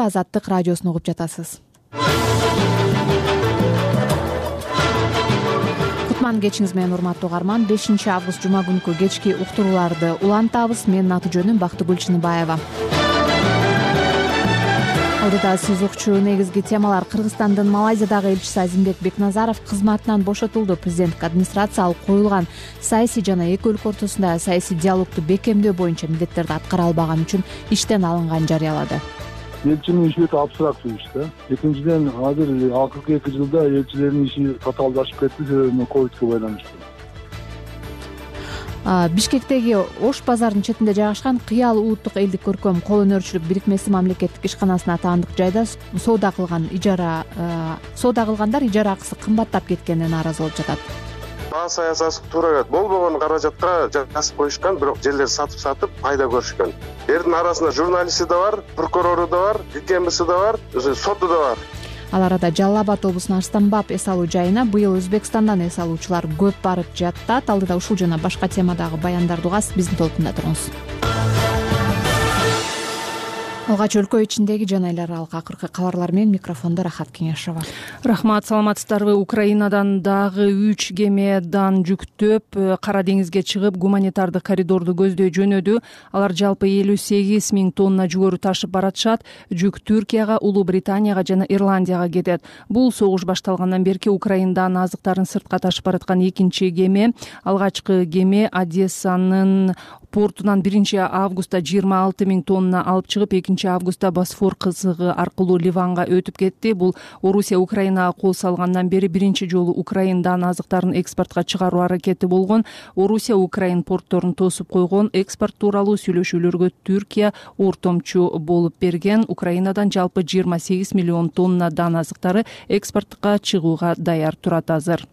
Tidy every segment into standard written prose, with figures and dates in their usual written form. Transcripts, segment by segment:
Азаттык радиосун угуп жатасыз. Кутман кечиңиз менен урматтуу угарман. 5-август жума күнкү кечки уктурууларды улантабыз. Менин аты жөнүм Бактыгүл Чыныбаева. Алдыда сиз укчу негизги темалар. Кыргызстандын Малайзиядагы элчиси Азимбек Бекназаров кызматынан бошотулду. Президенттик администрация ал коюлган саясий жана эки өлкө ортосунда саясий диалогду бекемдөө боюнча милдеттерди аткара албаган үчүн иштен алынганын жарыялады. Элчинин иши өтө абстрактуу иш да. Экинчиден, азыр акыркы 2 жылда элчилердин иши татаалдашып кетти, себеби ковидке байланыштуу. Бишкектеги Ош базарынын четинде жайгашкан Кыял улуттук элдик көркөм кол өнөрчүлүк бирикмеси мамлекеттик ишканасына таандык жайда соода кылгандар ижара акысы кымбаттап кеткенине нааразы болуп жатат. Баа саясаты туура келет. Болбогон каражатка жазып коюшкан, бирок жерлерди сатып пайда көрүшкөн. Эрдин арасында журналисти да бар, прокурору да бар, ГКМБси да бар, соту да бар. Ал арада Жалал Абад облусунун Арстанбаб эс алуу жайына быйыл Өзбекстандан эс алуучулар көп барып жатат. Алдыда ушул жана башка темадагы баяндарды угасыз, биздин толкунда туруңуз. Алгач өлкө ичиндеги жана эл аралык акыркы кабарлар менен микрофондо Рахат Кеңешова. Рахмат, саламатсыздарбы? Украинадан дагы 3 кемедан жүктөп Кара деңизге чыгып, гуманитардык коридорду көздөй жөнөдү. Алар жалпы 58 000 тонна жүгөрү ташып баратышат. Жүк Түркияга, Улуу Британияга жана Ирландияга кетет. Бул согуш башталгандан берки Украинадан азыктарын сыртка ташып бараткан экинчи кеме. Алгачкы кеме Одессанын портунан 1-августта 26 000 тонна алып чыгып, 2-августта Босфор кызыгы аркылуу Ливанга өтүп кетти. Бул Орусия Украинага кол салгандан бери биринчи жолу Украинадан азыктарын экспортко чыгаруу аракети болгон. Орусия Украин портторун тосуп койгон. Экспорт тууралуу сүйлөшүүлөргө Түркия ортомчу болуп берген. Украинадан жалпы 28 миллион тоннадан азыктары экспортко чыгууга даяр турат азыр.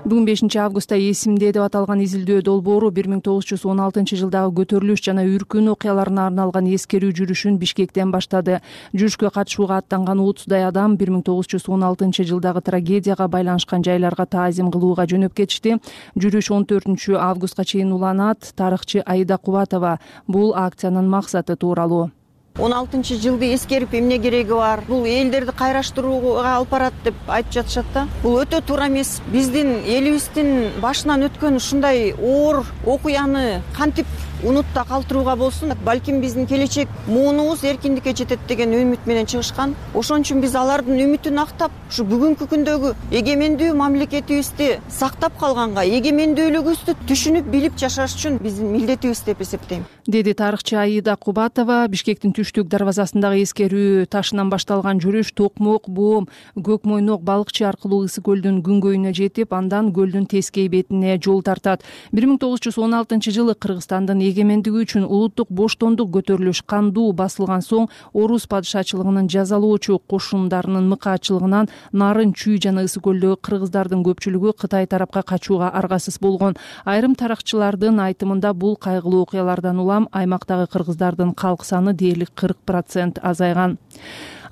Бүгүн 5-августта эсимде деп аталган изилдөө долбоору 1916 жылдагы көтөрүлүш жана үркүн окуяларына арналган эскерүү жүрүшүн Бишкектен баштады. Жүрүшкө катышууга аттанган 30дай адам 1916 жылдагы трагедияга байланышкан жайларга таазим кылууга жөнөп кетишти. Жүрүш 14-августка чейин уланат. Тарыхчы Аида Кубатова бул акциянын максаты тууралуу: 16-жылды эскерип эмне кереги бар? Бул элдерди кайраштырууга алып барат деп айтып жатышат да. Бул өтө туура эмес. Биздин элибиздин башынан өткөн ушундай оор окуяны кантип унутта калтырууга болсун? Балким биздин келечек муунубуз эркиндикке жетет деген үмүт менен чыгышкан. Ошон үчүн биз алардын үмүтүн актап, ушу бүгүнкү күндөгү эгемендүү мамлекетибизди сактап калганга, эгемендүүлүгүбүздү түшүнүп билип жашаш үчүн биздин милдетибиз деп эсептейм, деди тарыхчы Аида Кубатова. Бишкектин түштүк дарбазасындагы эскерүү ташынан башталган жүрүш Токмок, Боом, Көкмойнок, Балыкчы аркылуу Ысык көлдүн күнгөйүнө жетип, андан көлдүн тескей бетине жол тартат. 1916 жылы Кыргызстандын эгемендиги үчүн улуттук боштондук көтөрүлүш кандуу басылган соң Орус падышачылыгынын жазалоочу кошундарынын мыкаатчылыгынан Нарын, Чүй жана Ысык көлдөгү кыргыздардын көпчүлүгү Кытай тарапка качууга аргасыз болгон. Айрым тарыхчылардын айтымында бул кайгылуу окуялардан улам аймактагы кыргыздардын калк саны дээрлик 40% азайган.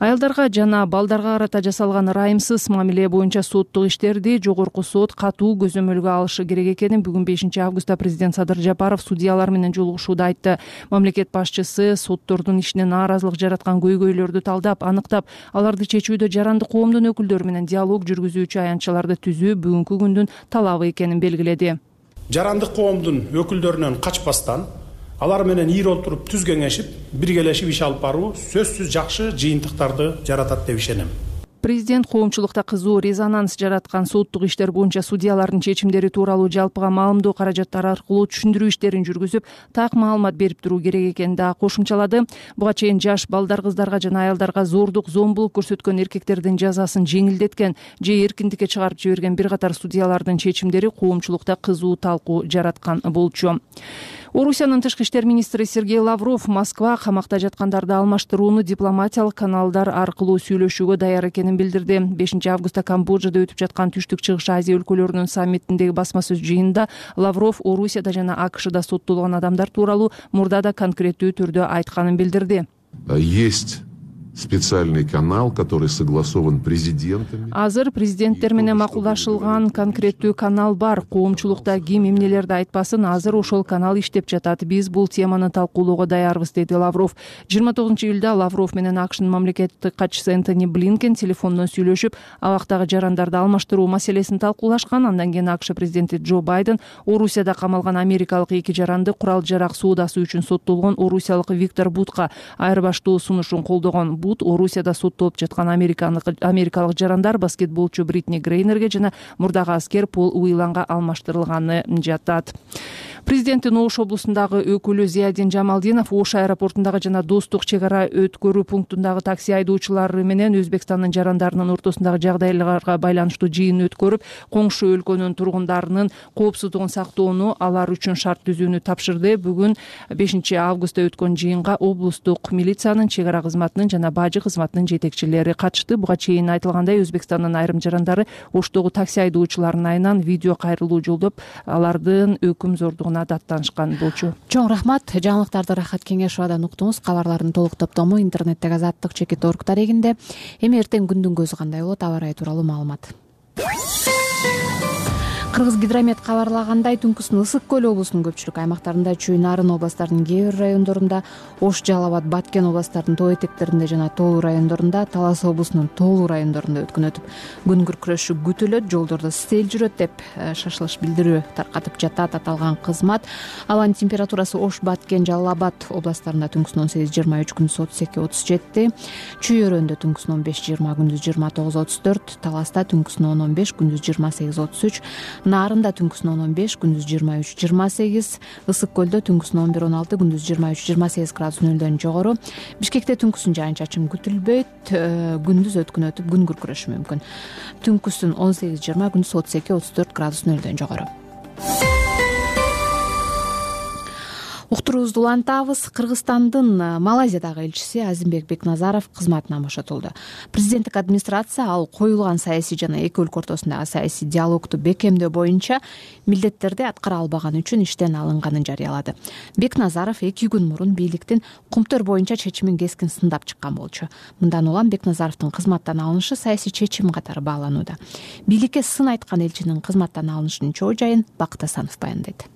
Аялдарга жана балдарга карата жасалган ырайымсыз мамиле боюнча соттук иштерди жогорку сот катуу көзөмөлгө алышы керек экенин бүгүн 5-августта президент Садыр Жапаров судьялар менен жолугушууда айтты. Мамлекет башчысы соттордун ишине нааразылык жараткан көйгөйлөрдү талдап, аныктап, аларды чечүүдө жарандык коомдун өкүлдөрү менен диалог жүргүзүүчү аянтчаларды түзүү бүгүнкү күндүн талабы экенин белгиледи. Жарандык коомдун өкүлдөрүнөн качпастан, алар менен ийир олтуруп түз кеңешип, биргелешип иш алып баруу сөзсүз жакшы жыйынтыктарды жаратат деп ишенем. Президент коомчулукта кызуу резонанс жараткан соттук иштер боюнча судьялардын чечимдери тууралуу жалпыга маалымдоо каражаттары аркылуу түшүндүрүү иштерин жүргүзүп, так маалымат берип туруу керек экенин да кошумчалады. Буга чейин жаш балдар, кыздарга жана аялдарга зордук, зомбулук көрсөткөн эркектердин жазасын жеңилдеткен же эркиндикке чыгарып жиберген бир катар судьялардын чечимдери коомчулукта кызуу талкуу жараткан болчу. Орусиянын тышкы иштер министри Сергей Лавров Москва камакта жаткандарды алмаштырууну дипломатиялык каналдар аркылуу сүйлөшүүгө даяр экенин билдирди. 5-августта Камбоджада өтүп жаткан Түштүк Чыгыш Азия өлкөлөрүнүн саммитиндеги басма сөз жыйынында Лавров Орусияда жана АКШда соттолгон адамдар тууралуу мурда да конкреттүү түрдө айтканын билдирди. Есть специальный канал, который согласован президентами. Азыр президенттер менен макулдашылган конкреттүү канал бар. Коомчулукта ким эмнелерди айтпасын, азыр ошол канал иштеп жатат. Биз бул теманы талкуулоого даярбыз, деди Лавров. 29-июлда Лавров менен АКШнын мамлекеттик катчысы Энтони Блинкен телефондон сүйлөшүп, абактагы жарандарды алмаштыруу маселесин талкуулашкан. Андан кийин АКШ президенти Джо Байден Орусияда камалган америкалык 2 жаранды курал-жарак соодасы үчүн соттолгон орусиялык Виктор Бутка айырбаштоо сунушун колдогон. Бут Орусияда соттолуп жаткан америкалык жарандар баскетболчу Бритни Грейнерге жана мурдагы аскер Пол Уиланга алмаштырылганы жатат. Президенттин Ош облусундагы өкүлү Зиядин Жамалдинов Ош аэропортундагы жана Достук чек ара өткөрүү пунктундагы такси айдоочулары менен Өзбекстандын жарандарынын ортосундагы жагдайларга байланыштуу жыйын өткөрүп, коңшу өлкөнүн тургундарынын коопсуздугун сактоону, алар үчүн шарт түзүүнү тапшырды. Бүгүн 5 августта өткөн жыйынга облустук милициянын, чек ара кызматынын жана бажы кызматынын жетекчилери катышты. Буга чейин айтылгандай, Өзбекстандын айрым жарандары Оштогу такси айдоочуларынын айынан видео кайрылуу жолдоп, алардын өкүм зордугуна даттанышкан болчу. Чоң рахмат. Жаңылыктарды Рахат Кеңешовадан уктуңуз. Кабарлардын толук топтому интернеттеги azаттык.org дарегинде. Эми эртең күндүн көзү кандай болот, аба ырайы тууралуу маалымат. Кыргыз гидромет кабарлагандай, түнкүсүн Ысык көл облусунун көпчүлүк аймактарында, Чүй, Нарын областарынын кээ бир райондорунда, Ош, Жалал Абад, Баткен областарынын тоо этектеринде жана тоолуу райондорунда, Талас облусунун тоолуу райондорунда өткөн өтүп, күн күркүрөшү күтүлөт, жолдордо сел жүрөт деп шашылыш билдирүү таркатып жатат аталган кызмат. Абанын температурасы Ош, Баткен, Жалал Абад областарында түнкүсүн 18-23, күндүз 32-37, Чүй өрөөндө түнкүсүн 15-20, күндүз 29-34, Таласта түнкүсүн 10-15, күндүз 28-33, Нарында түнкүсүн 15, күндүз 23-28, Ысык көлдө түнкүсүн 11-16, күндүз 23-28 градус нөлдөн жогору. Бишкекте түнкүсүн жаан-чачын күтүлбөйт, күндүз өткөн өтүп күн күркүрөшү мүмкүн. Түнкүсүн 18-20, күндүз 32-34 градус нөлдөн жогору. Уктуруубузду улантабыз. Кыргызстандын Малайзиядагы элчиси Азимбек Бекназаров кызматынан бошотулду. Президенттик администрация ал коюлган саясий жана эки өлкө ортосундагы саясий диалогду бекемдөө боюнча милдеттерди аткара албаганы үчүн иштен алынганын жарыялады. Бекназаров 2 күн мурун бийликтин кумтөр боюнча чечимин кескин сындап чыккан болчу. Мындан улам Бекназаровдун кызматтан алынышы саясий чечим катары бааланууда. Бийликке сын айткан элчинин кызматтан алынышынын чоо жайын Бакыт Асанов баяндайт.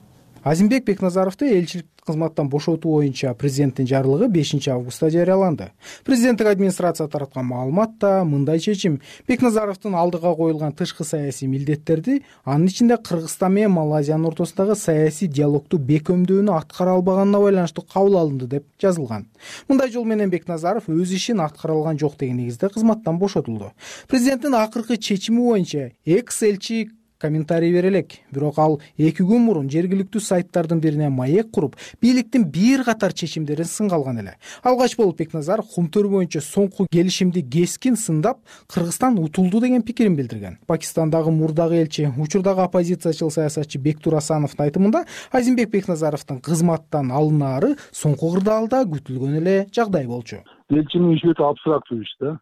Азимбек Бекназаровду элчилик кызматтан бошотуу боюнча президенттин жарлыгы 5 августта жарыяланды. Президенттик администрация тараткан маалыматта мындай чечим: Бекназаровдун алдыга коюлган тышкы саясий милдеттерди, анын ичинде Кыргызстан менен Малайзиянын ортосундагы саясий диалогду бекемдөөнү аткара албаганына байланыштуу кабыл алынды деп жазылган. Мындай жол менен Бекназаров өз ишин аткара алган жок деген негизде кызматтан бошотулду. Президенттин акыркы чечими боюнча экс-элчи комментарий бере элек. Бирок ал 2 күн мурун жергиликтүү сайттардын бирине маек куруп, бийликтин бир катар чечимдерин сынга алган эле. Алгач болуп Бекназаров кумтөр боюнча соңку келишимди кескин сындап, Кыргызстан утулду деген пикирин билдирген. Пакистандагы мурдагы элчи, учурдагы оппозициячыл саясатчы Бектур Асановдун айтымында, Азимбек Бекназаровдун кызматтан алынаары соңку кырдаалда күтүлгөн эле жагдай болчу. Элчинин иши өтө абстрактуу иш да.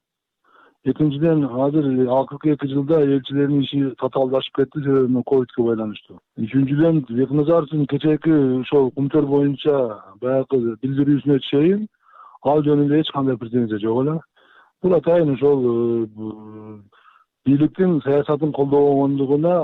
Экинчиден, азыр акыркы 2 жылда элчилердин иши татаалдашып кетти, себеби ковидке байланыштуу. Үчүнчүдөн, Бекназаровдун кечээки ошол кумтөр боюнча баягы билдирүүсүнө чейин ал жөнүндө эч кандай претензия жок эле. Бул атайын ошол бийликтин саясатын колдобогондугуна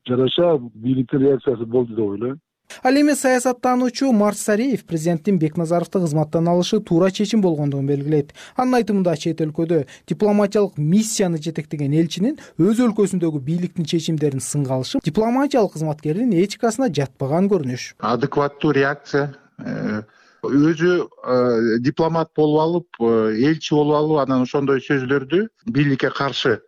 жараша бийликтин реакциясы болду деп ойлойм. Ал эми саясаттануучу Марс Сариев президенттин Бекназаровду кызматтан алышы туура чечим болгондугун белгилейт. Анын айтымында, чет өлкөдө дипломатиялык миссияны жетектеген элчинин өз өлкөсүндөгү бийликтин чечимдерин сынга алышы дипломатиялык кызматкердин этикасына жатпаган көрүнүш. Адекваттуу реакция, өзү дипломат болуп алып, элчи болуп алып, анан ошондой сөздөрдү бийликке каршы,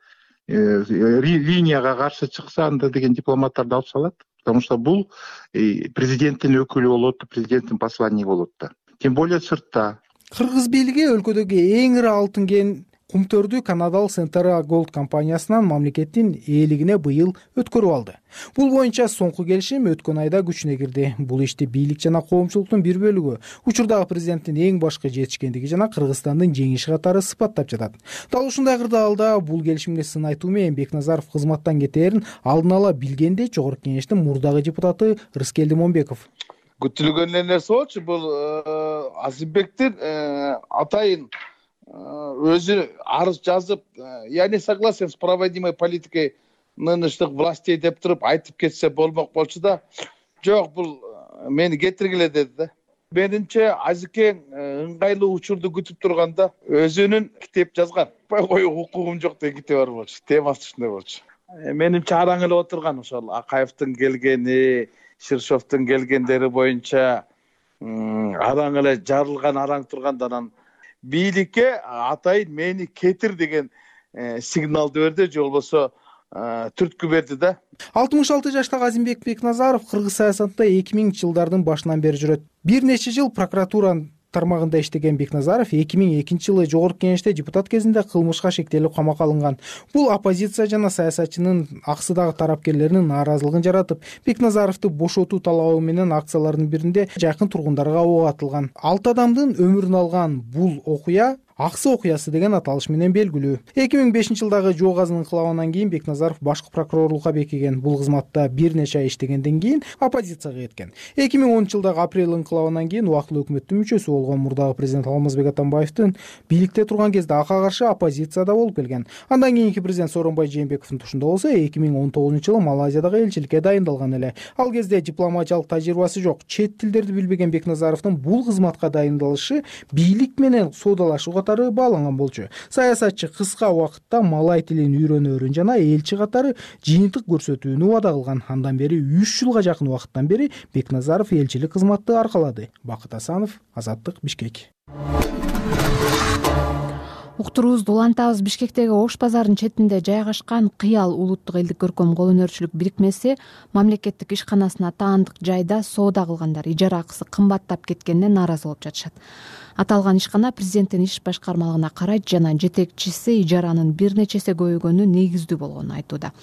линияга каршы чыкса, анда деген дипломаттарды алып салат. Потому что бул президенттин өкүлү болот, президенттин посланниги болот да. Тем более сыртта. Кыргыз бийлиги өлкөдөгү эң ири алтын кен кумтөрдү Канадалык Central Gold компаниясынан мамлекеттин ээлигине быйыл өткөрүп алды. Бул боюнча соңку келишим өткөн айда күчүнө кирди. Бул ишти бийлик жана коомчулуктун бир бөлүгү учурдагы президенттин эң башкы жетишкендиги жана Кыргызстандын жеңиши катары сыпаттап жатат. Дал ушундай кырдаалда бул келишимге сын айтуу менен Бекназаров кызматтан кетээрин алдын ала билгенде Жогорку Кеңештин мурдагы депутаты Рыскелди Момбеков. күтүлгөн эле нерсе болчу. Бул Азимбектин атайын өзү арыз жазып, я не согласен с проводимой политикой нынешних властей деп туруп айтып кетсе болмок болчу да, жок, бул мени кетиргиле деди да. Менимче Азикең ыңгайлуу учурду күтүп турганда өзүнүн китеп жазган. Коюуга укугум жок деген китеби бар болчу. Темасы ушундай болчу. Менимче араң эле отурган ошол Акаевдин келгени, Ширшовдун келгендери боюнча араң эле жарылган, араң турганда анан бийликке атайын мени кетир деген сигналды берди, же болбосо түрткү берди да. 66 жаштагы Азимбек Бекназаров кыргыз саясатында 2000 жылдардын башынан бери жүрөт. Бир нече жыл прокуратуранын тармагында иштеген Бекназаров 2002 жылы Жогорку Кеңеште депутат кезинде кылмышка шектелип камакка алынган. Бул оппозиция жана саясатчынын аксыдагы тарапкерлеринин нааразылыгын жаратып, Бекназаровду бошотуу талабы менен акциялардын биринде жакын тургундарга ок атылган. 6 адамдын өмүрүн алган бул окуя Аксы окуясы деген аталыш менен белгилүү. 2005 жылдагы жоо газынын инкылабынан кийин Бекназаров башкы прокурорлукка бекиген. Бул кызматта бир нече ай иштегенден кийин оппозицияга кеткен. 2010 жылдагы апрель инкылабынан кийин убактылуу өкмөттүн мүчөсү болгон мурдагы президент Алмазбек Атамбаевдин бийликте турган кезде ага каршы оппозицияда болуп келген. Андан кийинки президент Сооронбай Жээнбековдун тушунда болсо 2019 жылы Малайзиядагы элчиликке дайындалган эле. Ал кезде дипломатиялык тажрыйбасы жок, чет тилдерди билбеген Бекназаровдун бул кызматка дайындалышы бийлик менен соодалашууга бааланган болчу. Саясатчы кыска убакытта малай тилин үйрөнөөрүн жана элчи катары жыйынтык көрсөтүүнү убада кылган. Андан бери 3 жылга жакын убакыттан бери Бекназаров элчилик кызматты аркалады. Бакыт Асанов, Азаттык, Бишкек. Уктуруубузду улантабыз. Бишкектеги Ош базарынын четинде жайгашкан Кыял улуттук элдик көркөм кол өнөрчүлүк бирикмеси мамлекеттик ишканасына таандык жайда соода кылгандар ижара акысы кымбаттап кеткенине нааразы болуп жатышат. Аталган ишкана президенттин иш башкармалыгына карайт жана жетекчиси ижаранын бир нечесе көбөйгөнү негиздүү болгонун айтууда.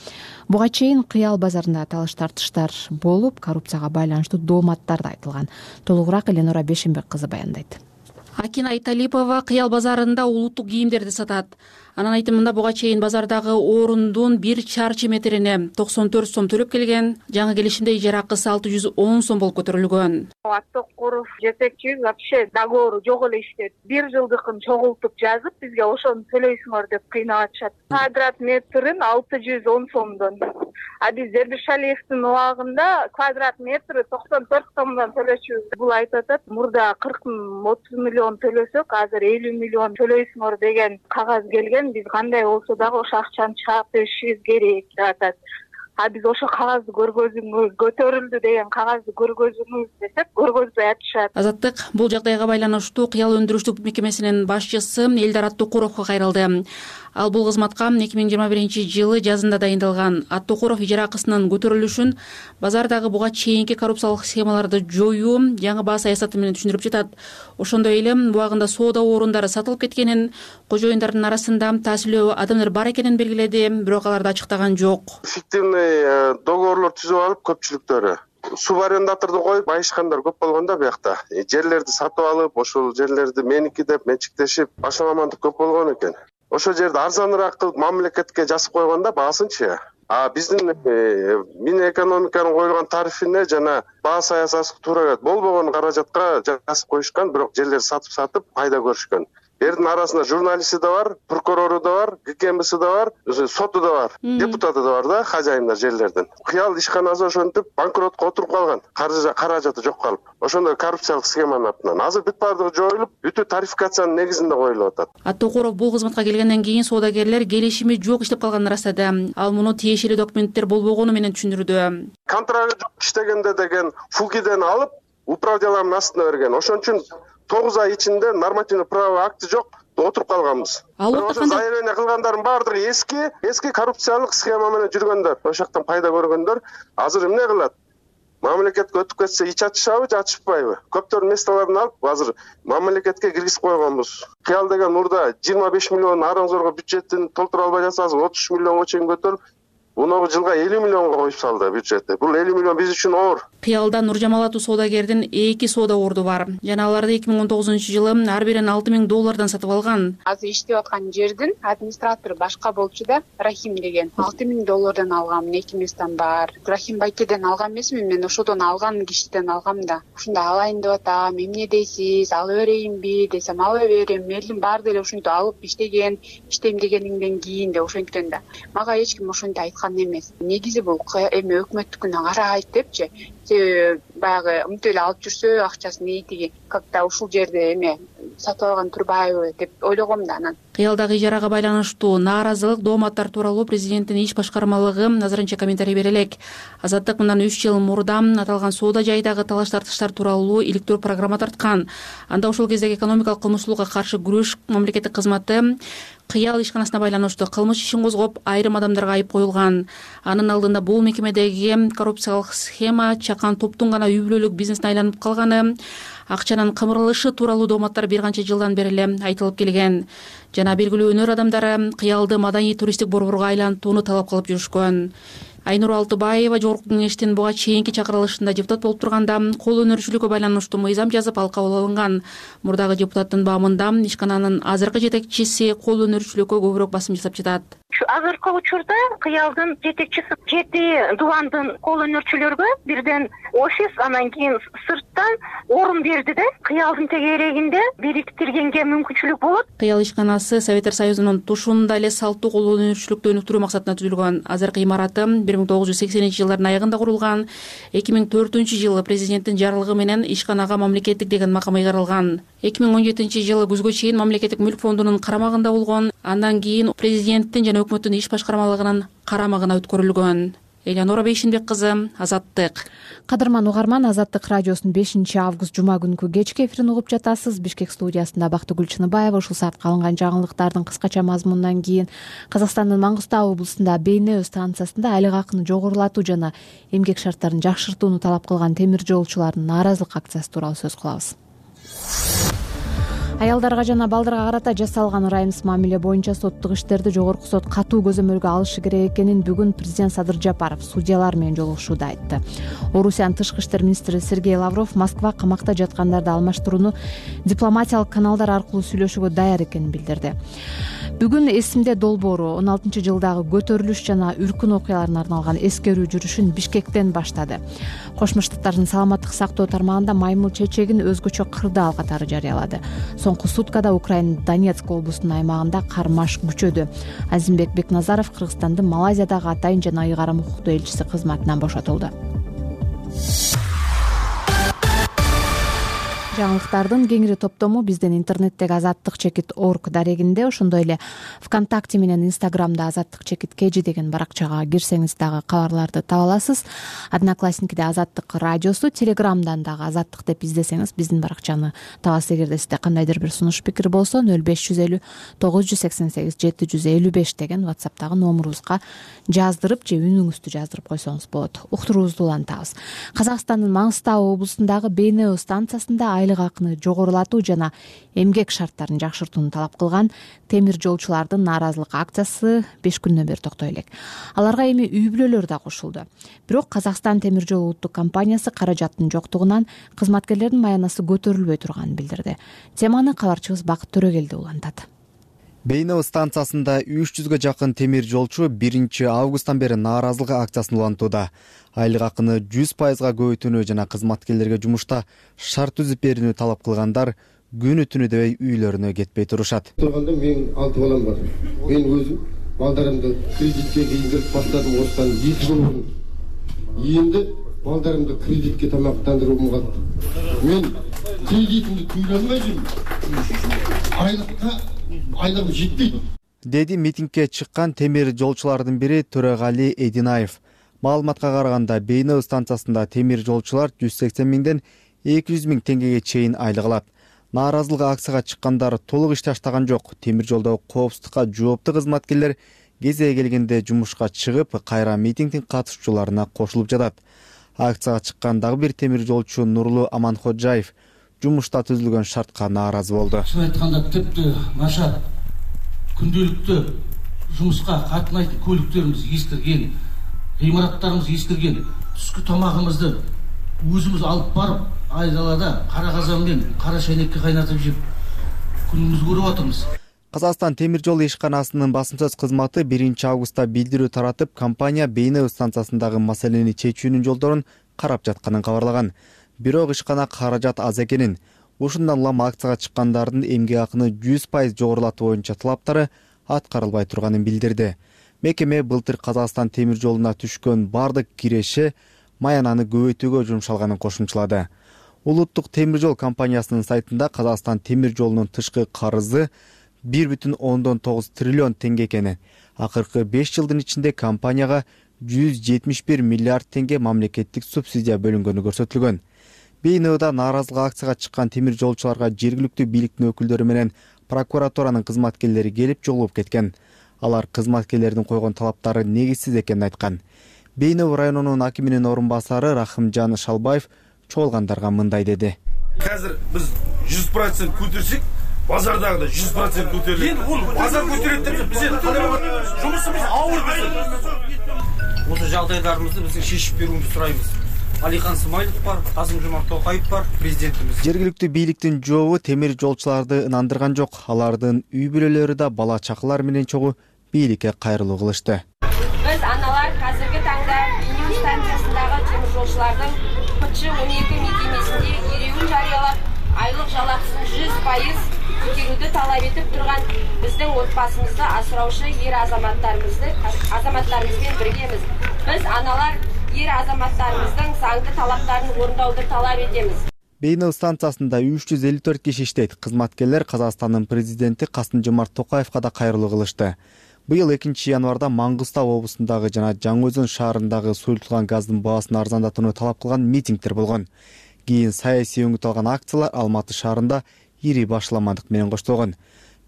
Буга чейин Кыял базарында талаш тартыштар болуп, коррупцияга байланыштуу дооматтар да айтылган. Толугураак Эленора Бешенбек кызы баяндайт. Акина Айталипова Кыял базарында улуттук кийимдерди сатат. Анын айтымында буга чейин базардагы орундун 1 чарчы метрине 94 сом төлөп келген. Жаңы келишимде ижара акысы 610 сом болуп көтөрүлгөн. Автокуров жетекчи вообще договору жок эле иштейт. 1 жылдыкын чогултуп жазып, бизге ошону төлөйсүңөр деп кыйнап атышат. Квадрат метрин 610 сомдон. А биз Зербишалиевдин убагында квадрат метри 94 сомдон төлөчүбүз. Бул айтып атат, мурда 40-30 миллион төлөсөк, азыр 50 миллион төлөйсүңөр деген кагаз келген. Биз кандай болсо дагы ошо акчаны чыгарып беришибиз керек деп атат. А биз ошо кагазды көргөзүңүз, көтөрүлдү деген кагазды көргөзүңүз десек, көргөзбөй атышат. Азаттык бул жагдайга байланыштуу Кыял өндүрүштүк мекемесинин башчысы Элдар Аттокуровго кайрылды. Ал бул кызматка 2021 жылы жазында дайындалган. Аттокуров ижара акысынын көтөрүлүшүн базардагы буга чейинки коррупциялык схемаларды жоюу, жаңы баа саясаты менен түшүндүрүп жатат. Ошондой эле убагында соода орундары сатылып кеткенин, кожоюндардын арасында таасирлүү адамдар бар экенин белгиледи, бирок аларды ачыктаган жок. Фиктивный договорлор түзүп алып көпчүлүктөрү субарендаторду коюп байышкандар көп болгондо биякта. Жерлерди сатып алып, ошол жерлерди меники деп менчиктешип, башаламандык көп болгон экен. Ошол жерди арзаныраак кылып мамлекетке жазып койгондо баасынчы. А биздин Минэкономиканын коюлган тарифине жана баа саясаты туура келет. Болбогон каражатка жазып коюшкан, бирок жерлерди сатып пайда көрүшкөн. Эрдин арасында журналисти да бар, прокурору да бар, ГКМБси да бар, соту да бар, депутаты да бар да, хажайындар жерлердин. Кыял ишканасы ошентип банкротко отуруп калган, каражаты жок калып. Ошондой коррупциялык схеманын артынан. Азыр бүт бардыгы жоюлуп, бүтү тарификациянын негизинде коюлуп атат. Аттокуров бул кызматка келгенден кийин соодагерлер келишими жок иштеп калганын ырастады. Ал муну тиешелүү документтер болбогону менен түшүндүрдү. Контракты жок иштегенде деген фугиден алып, управ деланын астына берген. Ошон үчүн 9 ай ичинде нормативный правовой акты жок, отуруп калганбыз. Ошо заявление кылгандардын баардыгы эски коррупциялык схема менен жүргөндөр, ошол жактан пайда көргөндөр. Азыр эмне кылат? Мамлекетке өтүп кетсе ич ачышабы, ачышпайбы? Көптөр местолорун алып, азыр мамлекетке киргизип койгонбуз. Кыял деген мурда 25 миллион араң зорго бюджетин толтура албай жатсаңыз, 33 миллионго чейин көтөрүп, муногу жылга 50 миллионго коюп салды бюджетти. Бул 50 миллион биз үчүн оор. Кыялда Нуржамал аттуу соодагердин 2 соода орду бар. Жана аларды 2019-жылы ар бирин $6,000 сатып алган. Азыр иштеп аткан жердин администратору башка болчу да, Рахим деген. $6,000 алгам, 2 местен бар. Рахим байкеден алган эмесмин, мен ошодон алган кишиден алгам да. Ушунда алайын деп атам, эмне дейсиз, алып берейинби десем, алып берем. Элдин баары деле ушинтип алып иштеген, иштейм дегениңден кийин да ошентен да. Мага эч ким ошентип айткан эмес. Негизи бул эме өкмөттүкүнө карайт депчи. Баягы мынтип эле алып жүрсө акчасын тиги как-то ушул жерде эме сатып алган турбайбы деп ойлогом да анан. Кыялдагы ижарага байланыштуу нааразылык дооматтар тууралуу президенттин иш башкармалыгы азырынча комментарий бере элек. Азаттык мындан 3 жыл мурда аталган соода жайдагы талаш-тартыштар тууралуу иликтөө программа тарткан. Анда ошол кездеги экономикалык кылмыштуулукка каршы күрөш мамлекеттик кызматы Кыял ишканасына байланыштуу кылмыш ишин козгоп, айрым адамдарга айып коюлган. Анын алдында бул мекемедеги коррупциялык схема чакан топтун гана үй бүлөлүк бизнесине айланып калганы, акчанын кымырылышы тууралуу дооматтар бир канча жылдан бери эле айтылып келген. Жана белгилүү өнөр адамдары Кыялды маданий туристтик борборго айлантууну талап кылып жүрүшкөн. Айнур Алтыбаева жогорку кеңештин буга чейинки чакырылышында депутат болуп турганда кол өнөрчүлүккө байланыштуу мыйзам жазып ал кабыл алынган. Мурдагы депутаттын баамында ишкананын азыркы жетекчиси кол өнөрчүлүккө көбүрөөк басым жасап жатат. Азыркы учурда Кыялдын жетекчиси 7 дубандын кол өнөрчүлөргө бирден офис, анан кийин сырттан орун берди да, Кыялдын тегерегинде бириктиргенге мүмкүнчүлүк болот. Кыял ишканасы Советтер Союзунун тушунда эле салттуу кол өнөрчүлүктү өнүктүрүү максатында түзүлгөн. Азыркы имараты 1980-жылдардын аягында курулган. 2004-жылы президенттин жарлыгы менен ишканага мамлекеттик деген макам ыйгарылган. 2017-жылы күзгө чейин мамлекеттик мүлк фондунун карамагында болгон. Андан кийин президенттин жана өкмөттүн иш башкармалыгынын карамагына өткөрүлгөн. Элеонора Бейшинбек кызы, Азаттык. Кадырман угарман, Азаттык радиосунун 5-август жума күнкү кечки эфирин угуп жатасыз. Бишкек студиясында Бактыгүл Чыныбаева. Ушул саатка алынган жаңылыктардын кыскача мазмунунан кийин Казакстандын Маңгыстау облусунда Бейнеу станциясында айлык акыны жогорулатуу жана эмгек шарттарын жакшыртууну талап кылган темир жолчулардын нааразылык акциясы тууралуу сөз кылабыз. Аялдарга жана балдарга карата жасалган ырайымсыз мамиле боюнча соттук иштерди жогорку сот катуу көзөмөлгө алышы керек экенин бүгүн президент Садыр Жапаров судьялар менен жолугушууда айтты. Орусиянын тышкы иштер министри Сергей Лавров Москва камакта жаткандарды алмаштырууну дипломатиялык каналдар аркылуу сүйлөшүүгө даяр экенин билдирди. Бүгүн эсимде долбоору 16-жылдагы көтөрүлүш жана үркүн окуяларына арналган эскерүү жүрүшүн Бишкектен баштады. Кошмо Штаттардын саламаттык сактоо тармагында маймыл чечегин өзгөчө кырдаал катары жарыялады. Соңку суткада Украинанын Донецк облусунун аймагында кармаш күчөдү. Азимбек Бекназаров Кыргызстандын Малайзиядагы атайын жана ыйгарым укуктуу элчиси кызматынан бошотулду. Жаңылыктардын кеңири топтому биздин интернеттеги azattik.org дарегинде, ошондой эле ВКонтакте менен Инстаграмда azattik.kg деген баракчага кирсеңиз дагы кабарларды таба аласыз. Одноклассникиде Азаттык радиосу, Телеграмдан дагы Азаттык деп издесеңиз биздин баракчаны табасыз. Эгерде сизде кандайдыр бир сунуш пикир болсо 0550 988 755 деген WhatsApp'тагы номурубузга жаздырып же үнүңүздү жаздырып койсоңуз болот. Уктуруубузду улантабыз. Казакстандын Маңгыстау облусундагы Бейнеу станциясында айлык акыны жогорулатуу жана эмгек шарттарын жакшыртууну талап кылган темир жолчулардын нааразылык акциясы 5 күндөн бери токтой элек. Аларга эми үй бүлөлөр да кошулду. Бирок Казакстан темир жол улуттук компаниясы каражаттын жоктугунан кызматкерлердин маянасы көтөрүлбөй турганын билдирди. Теманы кабарчыбыз Бакыт Төрөгелди улантат. Бейнеу станциясында 300гө жакын темир жолчу 1-августтан бери нааразылык акциясын улантууда. Айлык акыны 100%га көбөйтүүнү жана кызматкерлерге жумушта шарт түзүп берүүнү талап кылгандар күнү түнү дебей үйлөрүнө кетпей турушат. Турганда менин 6 балам бар. Мен өзүм балдарымды кредитке кийиндирип баштадым осыдан 2 жыл мурун. Эми балдарымды кредитке тамактандырууга калды. Мен кредитимди төлөй алмайм. Айлык жетпейт. Деди митингге чыккан темир жолчулардын бири Төрөгали Эдинаев. Маалыматка караганда Бейнеу станциясында темир жолчулар 180 миңден 200 миң теңгеге чейин айлык алат. Нааразылык акцияга чыккандар толук иш таштаган жок. Темир жолдогу коопсуздукка жооптуу кызматкерлер кезеги келгенде жумушка чыгып, кайра митингдин катышуучуларына кошулуп жатат. Акцияга чыккан дагы бир темир жолчу Нурлу Аманходжаев жумушта түзүлгөн шартка нааразы болду. Чын айтканда тепти нашар күндөлүктүү жумушка катнайтын көлүктөрүбүз эскирген. Гыймараттарыбыз эскирген. Түшкү тамагыбызды өзүбүз алып барып, айдалада кара казан менен кара шайнекке кайнатып жеп күнүбүздү көрүп атабыз. Казакстан темир жол ишканасынын басым сөз кызматы 1 августта билдирүү таратып, компания Бейнеу станциясындагы маселени чечүүнүн жолдорун карап жатканын кабарлаган. Бирок ишкана каражат аз экенин, ушундан улам акцияга чыккандардын эмгек акыны 100% жогорулатуу боюнча талаптары аткарылбай турганын билдирди. Мекеме былтыр Казакстан темир жолуна түшкөн бардык киреши маянаны көбөйтүүгө жумшалганын кошумчалады. Улуттук темир жол компаниясынын сайтында Казакстан темир жолунун тышкы карызы 1,9 триллион теңге экени, акыркы 5 жылдын ичинде компанияга 171 миллиард теңге мамлекеттик субсидия бөлүнгөнү көрсөтүлгөн. Бейнеуда нааразылык акцияга чыккан темир жолчуларга жергиликтүү бийликтин өкүлдөрү менен прокуратуранын кызматкерлери келип жолугуп кеткен. Алар кызматкерлердин койгон талаптары негизсиз экенин айткан. Бейнеу районунун акиминин орун басары Рахымжан Шалбаев чогулгандарга мындай деди. Азыр биз 100% көтөрсөк, базардагы 100% көтөрүлөт. Эми бул базар көтөрөт деп биз жумушубуз ауыр биз. Осы жагдайларыбызды биз шешип берүүнү сурайбыз. Алихан Смайлов бар, Касым-Жомарт Токаев бар, президентimiz. Жергиликтүү бийликтин жообу темир жолчуларды ынандырган жок. Алардын үй бүлөлөрү да бала чакалар менен чогуу бийликке кайрылуу кылышты. Биз аналар азыркы таңда Бейнеу станциясындагы темир жолчулардын P12 мекемесинде эреуил жарыялап, айлык жалакысын 100% көтөрүүнү талап этип турган биздин отбасыбызды асыраушы азаматтарыбыз менен биргебиз. Биз аналар азаматтарыбыздын заңды талаптарын орундооду талап этебиз. Бейнеу станциясында 354 киши иштейт. Кызматкерлер Казакстандын президенти Касым-Жомарт Токаевга да кайрылуу кылышты. Быйыл 2 январда Маңгыстау облусундагы жана Жаңы Өзөн шаарындагы суюлтулган газдын баасын арзандатууну талап кылган митингдер болгон. Кийин саясий өңүт алган акциялар Алматы шаарында ири башламандык менен коштолгон.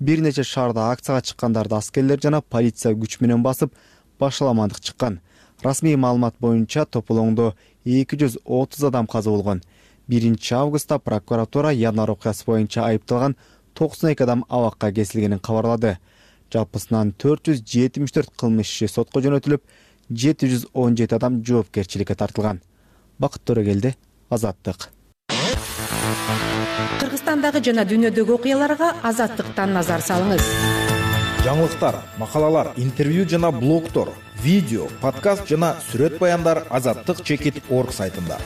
Бир нече шаарда акцияга чыккандарды аскерлер жана полиция күч менен басып, башламандык чыккан. Расмий маалымат боюнча тополоңдо 230 адам каза болгон. 1 августта прокуратура январь окуясы боюнча айыпталган 92 адам абакка кесилгенин кабарлады. Жалпысынан 474 кылмыш иши сотко жөнөтүлүп, 717 адам жоопкерчиликке тартылган. Бакыт Төрөгелди, Азаттык. Кыргызстандагы жана дүйнөдөгү окуяларга Азаттыктан назар салыңыз. Жаңылыктар, макалалар, интервью жана блогтор, видео, подкаст жана сүрөт баяндар azattik.org сайтында.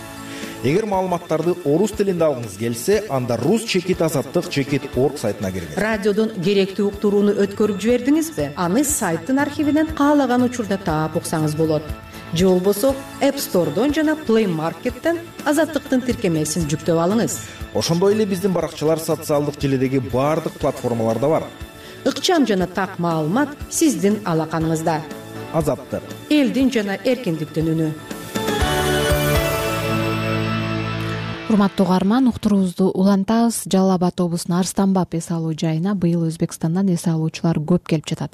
Эгер маалыматтарды орус тилинде алгыңыз келсе, анда rus.azattik.org сайтына кириңиз. Радиодон керектүү уктурууну өткөрүп жибердиңизби? Аны сайттын архивинен каалаган учурда таап уксаңыз болот. Же болбосо App Store'дон жана Play Market'тен Азаттыктын тиркемесин жүктөп алыңыз. Ошондой эле биздин баракчалар социалдык желидеги баардык платформаларда бар. Ыкчам жана так маалымат сиздин алаканыңызда. Азаттык. Элдин жана эркиндиктин үнү. Урматтуу угарман, уктуруубузду улантабыз. Жалал Абад облусунун Арстанбап эс алуу жайына быйыл Өзбекстандан эс алуучулар көп келип жатат.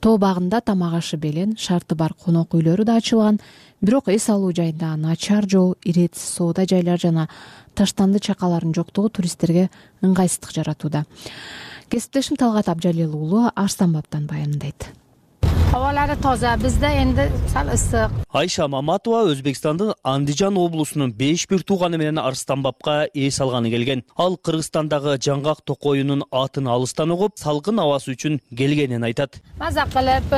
Тоо багында тамак ашы белен, шарты бар конок үйлөрү да ачылган. Бирок эс алуу жайында начар жол, иретсиз соода жайлар жана таштанды чакалардын жоктугу туристтерге ыңгайсыздык жаратууда. Кесиптешим Талгат Абжалил уулу Арстанбаптан баяндайт. Абалары таза, бизде энди сал ысык. Айша Маматова Өзбекстандын Андижан облусунун 5 бир тууганы менен Арстанбапка эс алганы келген. Ал Кыргызстандагы жаңгак токоюнун атын алыстан угуп, салкын абасы үчүн келгенин айтат. Маза кылып,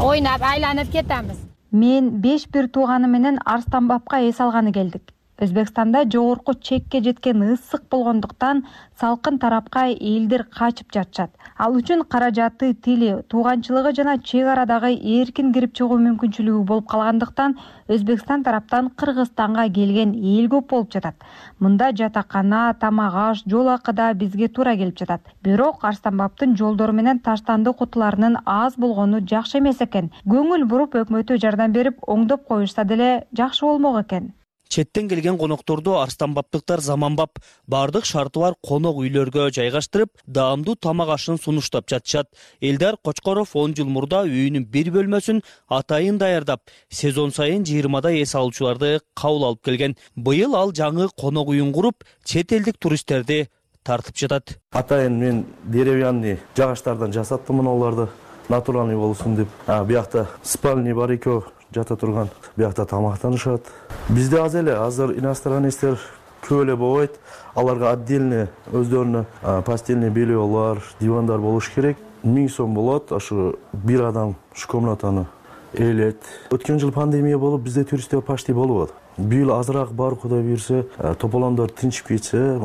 ойнап, айланып кетебиз. Мен 5 бир тууганы менен Арстанбапка эс алганы келдик. Өзбекстанда жогорку чекке жеткен ысык болгондуктан салкын тарапка элдер качып жатышат. Ал үчүн каражаты, тили, тууганчылыгы жана чек арадагы эркин кирип чыгуу мүмкүнчүлүгү болуп калгандыктан Өзбекстан тараптан Кыргызстанга келген эл көп болуп жатат. Мында жатакана, тамак аш, жол акыда бизге туура келип жатат. Бирок Арстанбаптын жолдору менен таштанды кутуларынын аз болгону жакшы эмес экен. Көңүл буруп өкмөтү жардам берип, оңдоп коюшса деле жакшы болмок экен. Четтен келген конокторду арстанбаптыктар заманбап бардык шарты бар конок үйлөргө жайгаштырып, даамдуу тамак ашын сунуштап жатышат. Элдар Кочкоров 10 жыл мурда үйүнүн бир бөлмөсүн атайын даярдап, сезон сайын 20да эс алуучуларды кабыл алып келген. Быйыл ал жаңы конок үйүн куруп, чет элдик туристтерди тартып жатат. Атайын мен деревянный жагаштардан жасаттым мына оларды. Натуральный болсун деп. Биякта спальный бар экөө, жата турган биякта тамактанышат. Бизде азыр иностранецтер көп эле болбойт. Аларга отдельно өздөрүнө постельный бельелар, дивандар болуш керек. 1000 сом болот. Ашу бир адам ушу комнатаны ээлет. Өткөн жыл пандемия болуп, бизде туристтер почти болбоду. Бул азыраак бар, Кудай буйрса, тополондор тынчып кетсе,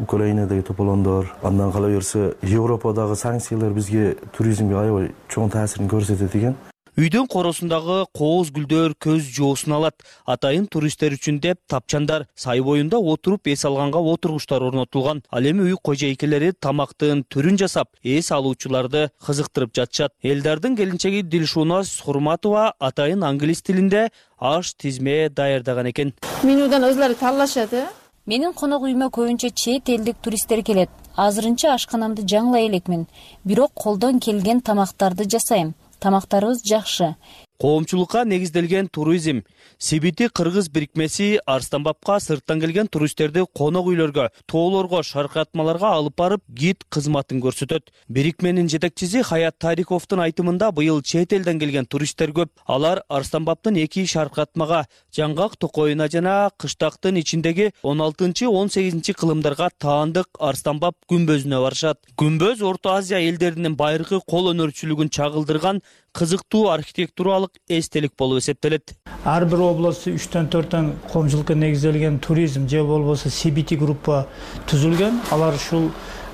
Украинадагы тополондор, андан кала берсе, Европадагы санкциялар бизге туризмге аябай чоң таасирин көрсөтөт экен. Үйдөн коросундагы кооз гүлдөр көз жоосун алат. Атайын туристтер үчүн деп тапчандар, сай боюнда отуруп эс алганга отургучтар орнотулган. Ал эми үй кожойкелери тамактын түрүн жасап, эс алуучуларды кызыктырып жатышат. Элдардын келинчеги Дилшунас Хурматова атайын англис тилинде аш тизме даярдаган экен. Менюдан өзлөрү талашат. Менин конок үйүмө көбүнчө чет элдик туристтер келет. Азырынча ашканамды жаңылай элекмин. Бирок колдон келген тамактарды жасайм. Тамактарыбыз жакшы. Коомчулукка негизделген туризм. Сибити кыргыз бирикмеси Арстанбапка сырттан келген туристтерди конок үйлөргө, тоолорго, шаркыратмаларга алып барып, гид кызматын көрсөтөт. Бирикменин жетекчиси Хаят Тариковдун айтымында быйыл чет элден келген туристтер көп. Алар Арстанбаптын 2 шаркыратмага, Жаңгак токоюна жана кыштактын ичиндеги 16-18 кылымдарга таандык Арстанбап күмбөзүнө барышат. Күмбөз Орто Азия элдеринин байыркы кол өнөрчүлүгүн чагылдырган кызыктуу архитектуралык эстелик болуп эсептелет. Ар бир областта 3-4 коомчулукка негизделген туризм же болбосо CBT группа түзүлгөн. Алар ушул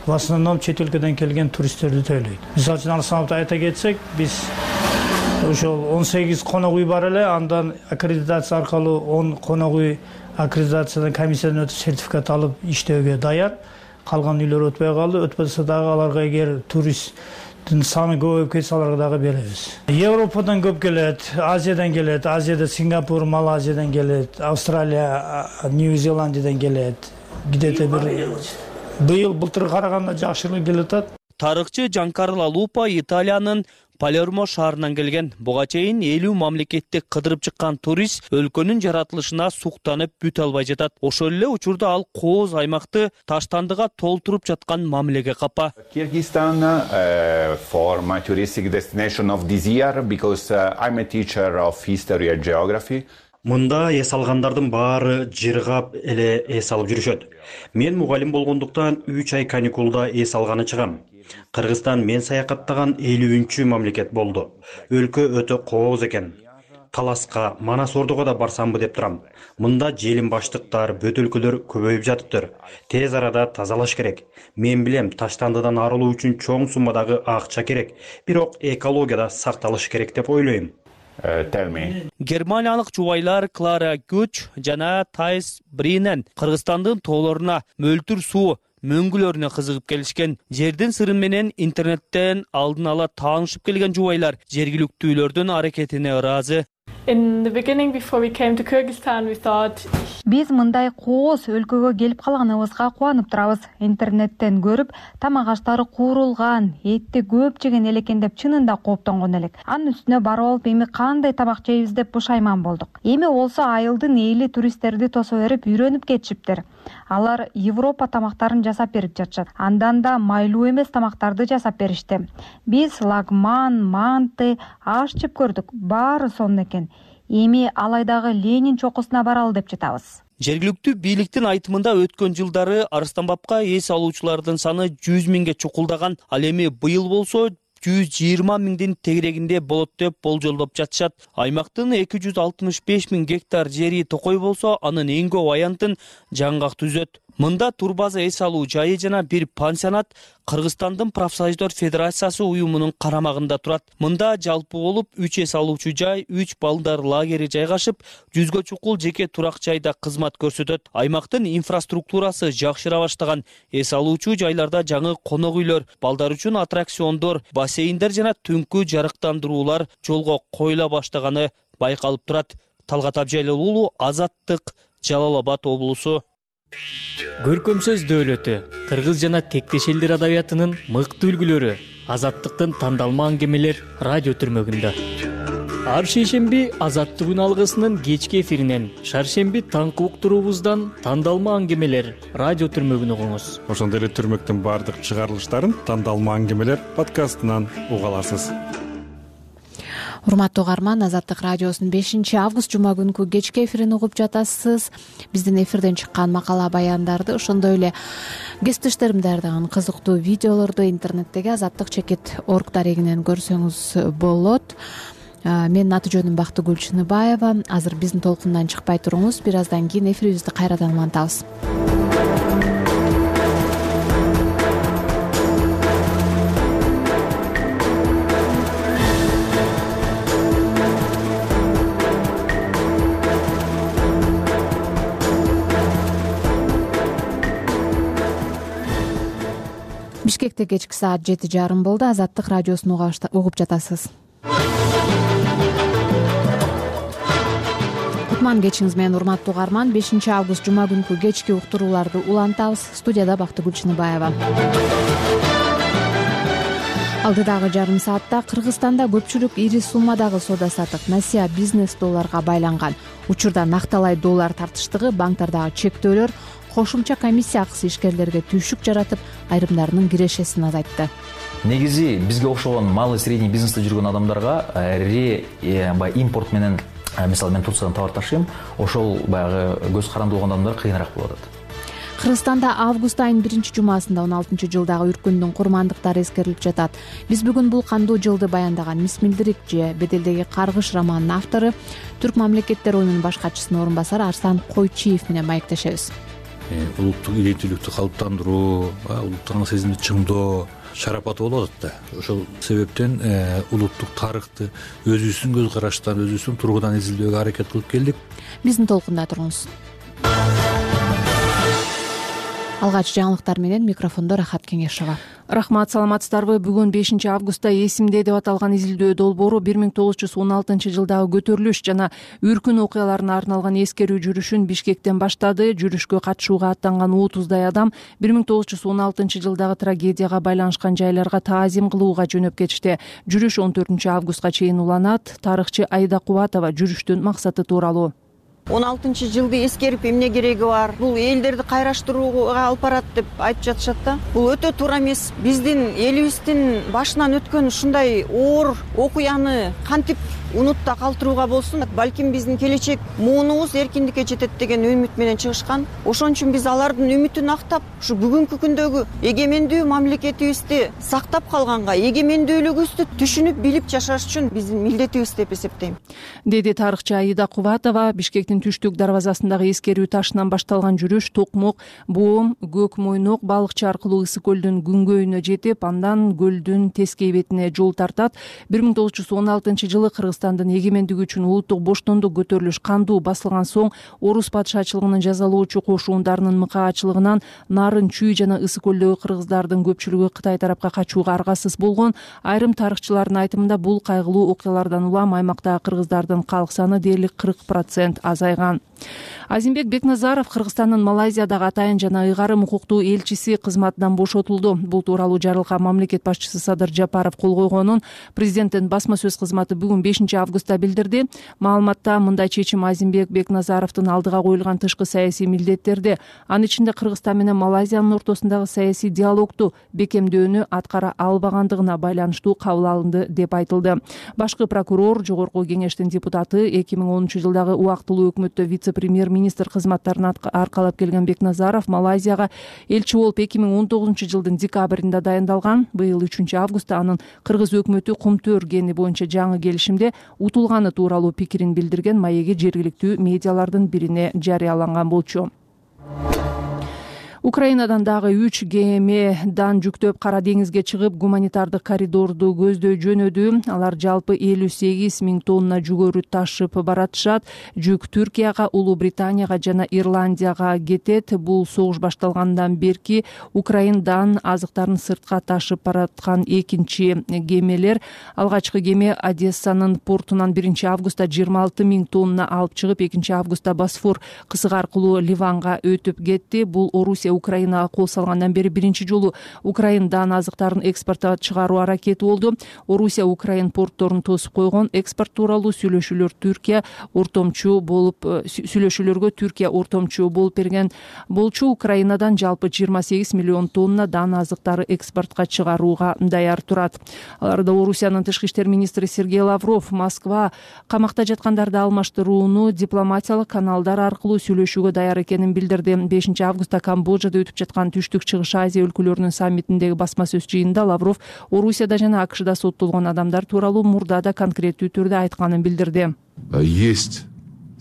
в основном чет өлкөдөн келген туристтерди төлөйт. Мисалы үчүн Арстанбапты айта кетсек, биз ошол 18 конок үй бар эле, андан аккредитация аркылуу 10 конок үй аккредитациядан комиссиядан өтүп сертификат алып иштөөгө даяр. Калган үйлөр өтпөй калды. Өтпөсө дагы аларга эгер турист саны көбөйүп кетсе аларга дагы беребиз. Европадан көп келет, Азиядан келет, Азияда Сингапур, Малайзиядан келет, Австралия, Нью-Зеландиядан келет. Где-то быйыл былтырга караганда жакшыраак келет атат. Тарыхчы Джанкарло Лупа Италиянын Палермо шаарынан келген. Буга чейин 50 мамлекетти кыдырып чыккан турист өлкөнүн жаратылышына суктанып бүтө албай жатат. Ошол эле учурда ал кооз аймакты таштандыга толтуруп жаткан мамилеге капа. Kyrgyzstan for my touristic destination of this year because I'm a teacher of history and geography. Мында эс алгандардын баары жыргап эле эс алып жүрүшөт. Мен мугалим болгондуктан 3 ай каникулда эс алганы чыгам. Кыргызстан мен саякаттаган 50-чү мамлекет болду. Өлкө өтө кооз экен. Таласка, Манас Ордого да барсамбы деп турам. Мында желим баштыктар, бөтөлкөлөр көбөйүп жатыптыр. Тез арада тазалаш керек. Мен билем, таштандыдан арылуу үчүн чоң суммадагы акча керек. Бирок экологияда сакталыш керек деп ойлойм. Германиялык жубайлар Клара Гуч жана Тайс Бринен Кыргызстандын тоолоруна мөлтүр суу мөңгүлөрүнө кызыгып келишкен. Жердин сыры менен интернеттен алдын ала таанышып келген жубайлар жергиликтүүлөрдүн аракетине ыраазы. Биз мындай кооз өлкөгө келип калганыбызга кубанып турабыз. Интернеттен көрүп, тамак аштары куурулган, этти көп жеген элекен деп чынында кооптонгон элек. Анын үстүнө барып алып, эми кандай тамак жейбиз деп бушайман болдук. Эми болсо айылдын эли туристтерди тосо берип үйрөнүп кетишиптир. Алар Европа тамактарын жасап берип жатышат. Андан да майлуу эмес тамактарды жасап беришти. Биз лагман, манты, аш жеп көрдүк. Баары сонун экен. Эми Алайдагы Ленин чокусуна баралы деп жатабыз. Жергиликтүү бийликтин айтымында өткөн жылдары Арстанбапка эс алуучулардын саны 100 миңге чукулдаган. Ал эми быйыл болсо 120 миңдин тегерегинде болот деп болжолдоп жатышат. Аймактын 265 миң гектар жери токой болсо, анын эң көп аянтын Жаңгак түзөт. Мында турбаза эс алуу жайы жана бир пансионат Кыргызстандын профсоюздар федерациясы уюмунун карамагында турат. Мында жалпы болуп 3 эс алуучу жай, 3 балдар лагери жайгашып, 100гө чукул жеке турак жайда кызмат көрсөтөт. Аймактын инфраструктурасы жакшыра баштаган. Эс алуучу жайларда жаңы конок үйлөр, балдар үчүн аттракциондор, бассейндер жана түнкү жарыктандыруулар жолго коюла баштаганы байкалып турат. Талгат Абжайлуулу, Азаттык, Жалал Абад облусу. Көркөм сөз дөөлөтү, кыргыз жана тектеш элдер адабиятынын мыкты үлгүлөрү, Азаттыктын тандалма аңгемелер радио түрмөгүндө. Ар шейшемби Азаттык күн алгысынын кечки эфиринен, шаршемби таңкы уктуруубуздан тандалма аңгемелер радио түрмөгүн угуңуз. Ошондой эле түрмөктүн баардык чыгарылыштарын тандалма аңгемелер подкастынан уга аласыз. Урматтуу угарман, Азаттык радиосунун 5-август жума күнкү кечки эфирин угуп жатасыз. Биздин эфирден чыккан макала баяндарды, ошондой эле кесиптештерим даярдаган кызыктуу видеолорду интернеттеги azattik.org дарегинен көрсөңүз болот. Менин аты жөнүм Бактыгүл Чыныбаева. Азыр биздин толкундан чыкпай туруңуз. Бир аздан кийин эфирибизди кайрадан улантабыз. Бишкекте кечки саат 7:30 болду. Азаттык радиосун угуп жатасыз. Кутман кечиңиз менен, урматтуу угарман. 5-август жума күнкү кечки уктурууларды улантабыз. Студияда Бактыгүл Чыныбаева. Алдыдагы жарым саатта Кыргызстанда көпчүлүк ири суммадагы соода саттык насыя бизнес долларга байланган. Учурда накталай доллар тартыштыгы, банктардагы чектөөлөр кошумча комиссия акысы ишкерлерге түйшүк жаратып, айрымдарынын кирешесин азайтты. Негизи бизге окшогон малый средний бизнесте жүргөн адамдарга баягы импорт менен, мисалы мен Турциядан товар ташыйм, ошол баягы көз каранды болгон адамдар кыйыныраак болуп атат. Кыргызстанда август айынын 1-жумасында 16-жылдагы үркүндүн курмандыктары эскерилип жатат. Биз бүгүн бул кандуу жылды баяндаган Мисмилдирик же Беделдеги каргыш романынын автору, Түрк мамлекеттер оюнунун баш катчысынын орун басары Арслан Койчиев менен маектешебиз. Улуттук идентиликти калыптандыруу, улуттук сезимди чыңдоо шарапаты болуп атат да. Ошол себептен улуттук тарыхты өзүбүздүн көз караштан, өзүбүздүн тургудан изилдөөгө аракет кылып келдик. Биздин толкунда туруңуз. Алгач жаңылыктар менен микрофондо Рахат Кеңешова. Рахмат, саламатсыздарбы? Бүгүн 5-августта эсимде деп аталган изилдөө долбоору 1916 жылдагы көтөрүлүш жана үркүн окуяларына арналган эскерүү жүрүшүн Бишкектен баштады. Жүрүшкө катышууга аттанган 30дай адам 1916 жылдагы трагедияга байланышкан жайларга таазим кылууга жөнөп кетишти. Жүрүш 14-августка чейин уланат. Тарыхчы Аида Кубатова жүрүштүн максаты тууралуу: 16-жылды эскерип эмне кереги бар? Бул элдерди кайраштырууга алып барат деп айтып жатышат да. Бул өтө туура эмес. Биздин элибиздин башынан өткөн ушундай оор окуяны кантип унутта калтырууга болсун? Балким биздин келечек муунубуз эркиндикке жетет деген үмүт менен чыгышкан. Ошон үчүн биз алардын үмүтүн актап, ушу бүгүнкү күндөгү эгемендүү мамлекетибизди сактап калганга, эгемендүүлүгүбүздү түшүнүп билип жашаш үчүн биздин милдетибиз деп эсептейм, деди тарыхчы Аида Кубатова. Бишкектин түштүк дарбазасындагы эскерүү ташынан башталган жүрүш Токмок, Боом, Көк Мойнок балыкчы аркылуу Ысык көлдүн күнгөйүнө жетип, андан көлдүн тескей бетине жол тартат. 1916 жылы Кыргызстандын эгемендиги үчүн улуттук боштондук көтөрүлүш кандуу басылган соң, орус падышачылыгынын жазалоочу кошуундарынын мыкаачылыгынан Нарын, Чүй жана Ысык көлдөгү кыргыздардын көпчүлүгү Кытай тарапка качууга аргасыз болгон. Айрым тарыхчылардын айтымында бул кайгылуу окуялардан улам аймактагы кыргыздардын калк саны дээрлик 40% азайган. Азимбек Бекназаров Кыргызстандын Малайзиядагы атайын жана ыйгарым укуктуу элчиси кызматынан бошотулду. Бул тууралуу жарлыкка мамлекет башчысы Садыр Жапаров кол койгонун президенттин басма сөз кызматы бүгүн 5-августта билдирди. Маалыматта мындай чечим Азимбек Бекназаровдун алдыга коюлган тышкы саясий милдеттерди, анын ичинде Кыргызстан менен Малайзиянын ортосундагы саясий диалогту бекемдөөнү аткара албагандыгына байланыштуу кабыл алынды деп айтылды. Башкы прокурор, жогорку кеңештин депутаты, 2010 жылдагы убактылуу өкмөттө вице-премьер-министр кызматтарын аркалап келген Бекназаров Малайзияга элчи болуп 2019 жылдын декабрында дайындалган. Быйыл 3-августта анын кыргыз өкмөтү Кумтөр кени боюнча жаңы келишимде утулганы тууралуу пикирин билдирген маеги жергиликтүү медиалардын бирине жарыяланган болчу. Украинадан дагы 3 кеме жүктөп Кара деңизге чыгып, гуманитардык коридорду көздөй жөнөдү. Алар жалпы 58 000 тонна жүгөрү ташып баратышат. Жүк Түркияга, Улуу Британияга жана Ирландияга кетет. Бул согуш башталгандан берки Украинадан азыктарын сыртка ташып бараткан экинчи кемелер. Алгачкы кеме Одессанын портунан 1-августта 26 000 тонна алып чыгып, 2-августта Босфор кысыгы аркылуу Ливанга өтүп кетти. Бул Орусия Орусия Украинага кол салгандан бери биринчи жолу Украинадан азыктарын экспортко чыгаруу аракети болду. Орусия Украин портторун тосуп койгон. Экспорт тууралуу сүйлөшүүлөргө Түркия ортомчу болуп берген болчу. Украинадан жалпы 28 миллион тонна дан азыктары экспортко чыгарууга даяр турат. Аларда Орусиянын тышкы иштер министри Сергей Лавров Москва камакта жаткандарды алмаштырууну дипломатиялык каналдар аркылуу сүйлөшүүгө даяр экенин билдирди. 5 августта Камбоджада өтүп жаткан Түштүк Чыгыш Азия өлкөлөрүнүн саммитиндеги басма сөз жыйынында Лавров Орусияда жана АКШда соттолгон адамдар тууралуу мурда да конкреттүү түрдө айтканын билдирди. Есть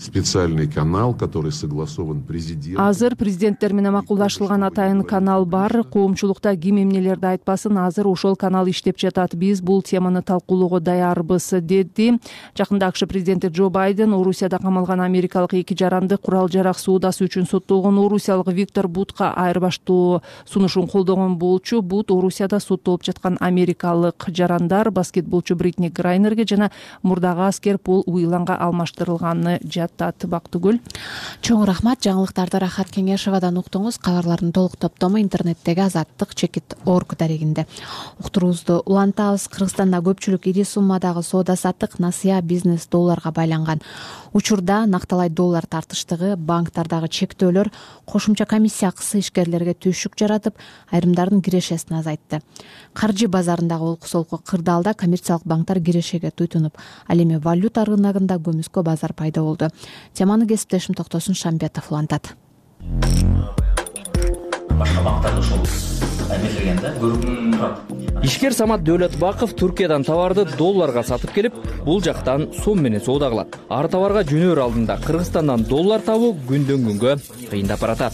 специальный канал, который согласован президентом. Азыр президенттер менен макулдашылган атайын канал бар. Коомчулукта ким эмнелерди айтпасын, азыр ошол канал иштеп жатат. Биз бул теманы талкуулоого даярбыз, деди. Жакында АКШ президенти Джо Байден Орусияда камалган америкалык 2 жаранды курал-жарак соодасы үчүн соттолгон орусиялык Виктор Бутка айырбаштоо сунушун колдогон болчу. Бут Орусияда соттолуп жаткан америкалык жарандар баскетболчу Бритни Грайнерге жана мурдагы аскер Пол Уиланга алмаштырылганын Бактыгүл. Чоң рахмат. Жаңылыктарды Рахат Кеңешевадан уктуңуз. Кабарлардын толук топтому интернеттеги азаттык-org дарегинде. Уктуруубузду улантабыз. Кыргызстанда көпчүлүк ири суммадагы соода-саттык насыя бизнес долларга байланган. Учурда накталай доллар тартыштыгы, банктардагы чектөөлөр кошумча комиссия акысы ишкерлерге түшүк жаратып, айрымдардын кирешесин азайтты. Каржы базарындагы олку-солку кырдаалда коммерциялык банктар кирешеге туйтунуп, ал эми валюта рыногунда көмүскө базар пайда болду. Теманы кесиптешим Токтосун Шамбетов улантат. Башка банктарда ошол эмелегенде көрүнүп турат. Ишкер Самат Дөөлөтбаков Түркиядан товарды долларга сатып келип, бул жактан сом менен соода кылат. Ар товарга жөнөр алдында Кыргызстандан доллар табуу күндөн күнгө кыйындап баратат.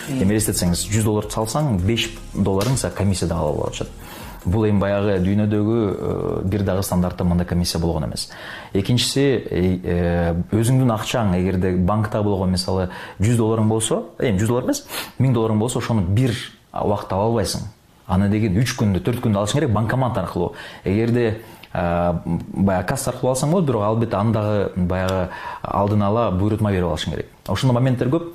Элестетсеңиз, $100 салсаң, $5 комиссияда алып алышат. Бул эми баягы дүйнөдөгү бир дагы стандартта мындай комиссия болгон эмес. Экинчиси, өзүңдүн акчаң эгерде банкта болгон мисалы $100 болсо, эми $100 эмес, $1000 болсо, ошону бир убакытта ала албайсың. Аны деген 3 күндө, 4 күндө алышың керек банкомат аркылуу. Эгерде баягы касса аркылуу алсаң болот, бирок албетте андагы баягы алдын ала буйрутма берип алышың керек. Ошондой моменттер көп.